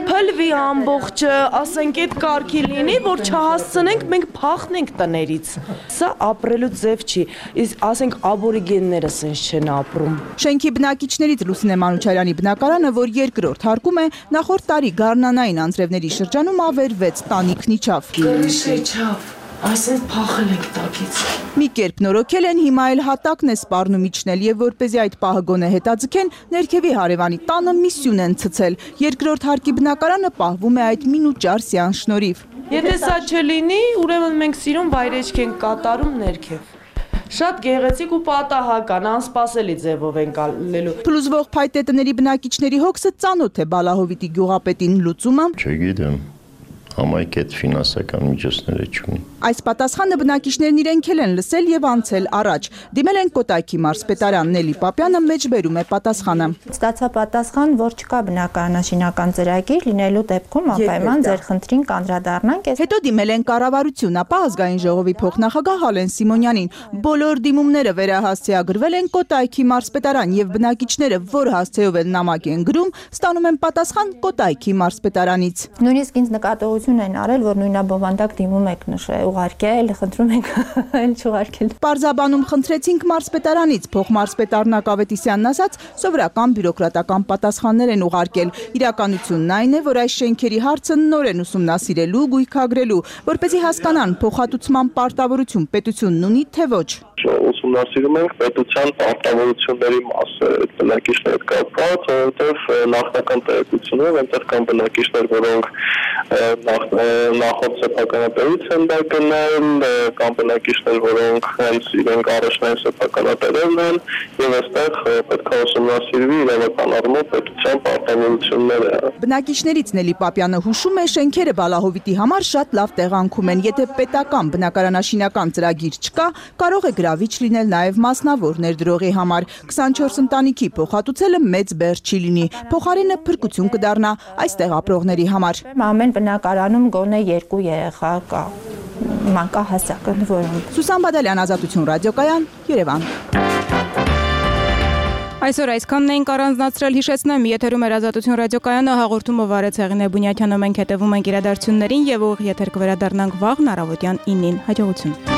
փլվի ամբողջը, ասենք այդ կարգի լինի, որ չհասցնենք, մենք փախնենք տներից։ Սա ապրելու ձև չի, իսկ ասենք աբորիգենները սենց չեն ապրում։ Շենքի բնակիչներից Լուսինե Մանուչարյանի բնակարանը, որ երկրորդ հարկում է, նախորդ տարի գարնանային անձրևների շրջանում ավերվեց, տանիքն իջավ։ Կրիշեչավ, այսպես փախել ենք տակից։ Մի կերպ նորոգել են, հիմա էլ հատակն է սպառնում իջնել եւ որպեսզի այդ պահը գոնե հետաձգեն, ներքևի հարևանի տանը միսյուն են ցցել։ Երկրորդ հարկի բնակարանը պահվում է այդ մինուճար սյան շնորհիվ։ Եթե սա չլինի, ուրեմն մենք սիրուն վայրեջք ենք կատարում ներքև։ Շատ գեղեցիկ ու պատահական, անսպասելի ձևով են կալելու։ Փլուզվող փայտե տների բնակիչների հոգսը ծանոթ է Բալահովիտի գյուղապետին, լուծումը։ Չգիտեմ, համայնք այդ ֆինանսական միջոցները չունի։ Այս պատասխանը բնակիչներն իրենք են լսել եւ անցել առաջ։ Դիմել են Կոտայքի մարզպետարան, Նելի Պապյանը մեջբերում է պատասխանը։ Ստացա պատասխան, որ չկա բնակարանաշինական ծրագիր, լինելու դեպքում անպայման ձեր խնդրին կանդրադառնանք։ Հետո դիմել են կառավարություն, ապա ազգային ժողովի փոխնախագահ Հալեն Սիմոնյանին։ Բոլոր դիմումները վերահասցեագրվել են Կոտայքի մարզպետարան եւ բնակիչները, որ հասցեով են նամակ են գրում, ստանում են պատասխան Կոտայքի մարզպետարանից։ Նույնիսկ ինձ նկատողություն հայտարարություն են արել, որ նույնաբովանդակ դիմում եք նշել, ուղարկել, խնդրում եք այլ չուղարկել։ Պարզաբանում խնդրեցինք մարզպետարանից, փոխմարզպետարն Ակավետիսյանն ասաց, սովորական բյուրոկրատական պատասխաններ են ուղարկել։ Իրականությունն այն է, որ այս շենքերի հարցը նոր են ուսումնասիրելու, գույքագրելու, որպեսզի հասկանան փոխհատուցման պարտավորություն պետությունն ունի, թե ոչ։ Ուսումնասիրում ենք պետության պարտավորությունների մասը այդ բնակիչների կապված, որովհետև նախնական տեղեկությունով այնտեղ կան բնակիչներ, որոնք նախորդ սեփականատերից են դա գնել, կան բնակիչներ, որոնք հենց իրենք առաջնային սեփականատերերն են, եւ այստեղ պետք է ուսումնասիրվի իրավական առումով պետության պարտավորությունները։ Բնակիչներից Նելի Պապյանը հուշում է, շենքերը Բալահովիտի համար շատ լավ տեղանքում են, եթե պետական բնակարանաշինական ծրագիր չկա, կարող է գրավիչ լինել նաև մասնավոր ներդրողի համար։ քսանչորս ընտանիքի փոխհատուցելը մեծ բեռ չի լինի, փոխարենը փրկություն կդառնա այստեղ ապրողների համար։ Ամեն բնակարանում գոնե երկու երեխա կա, մանկահասակ ընդ Սուսան Բադալյան, Ազատություն ռադիոկայան, Երևան։ Այսօր այսքանն էինք առանձնացրել, հիշեցնեմ, եթերում էր Ազատություն ռադիոկայանը, հաղորդումը վարեց Հեղինե Բունյաթյանը, մենք հետևում ենք իրադարձություններին եւ ուղիղ եթեր կվերադառնանք վաղն առավոտյան ինին։ Հաջողություն։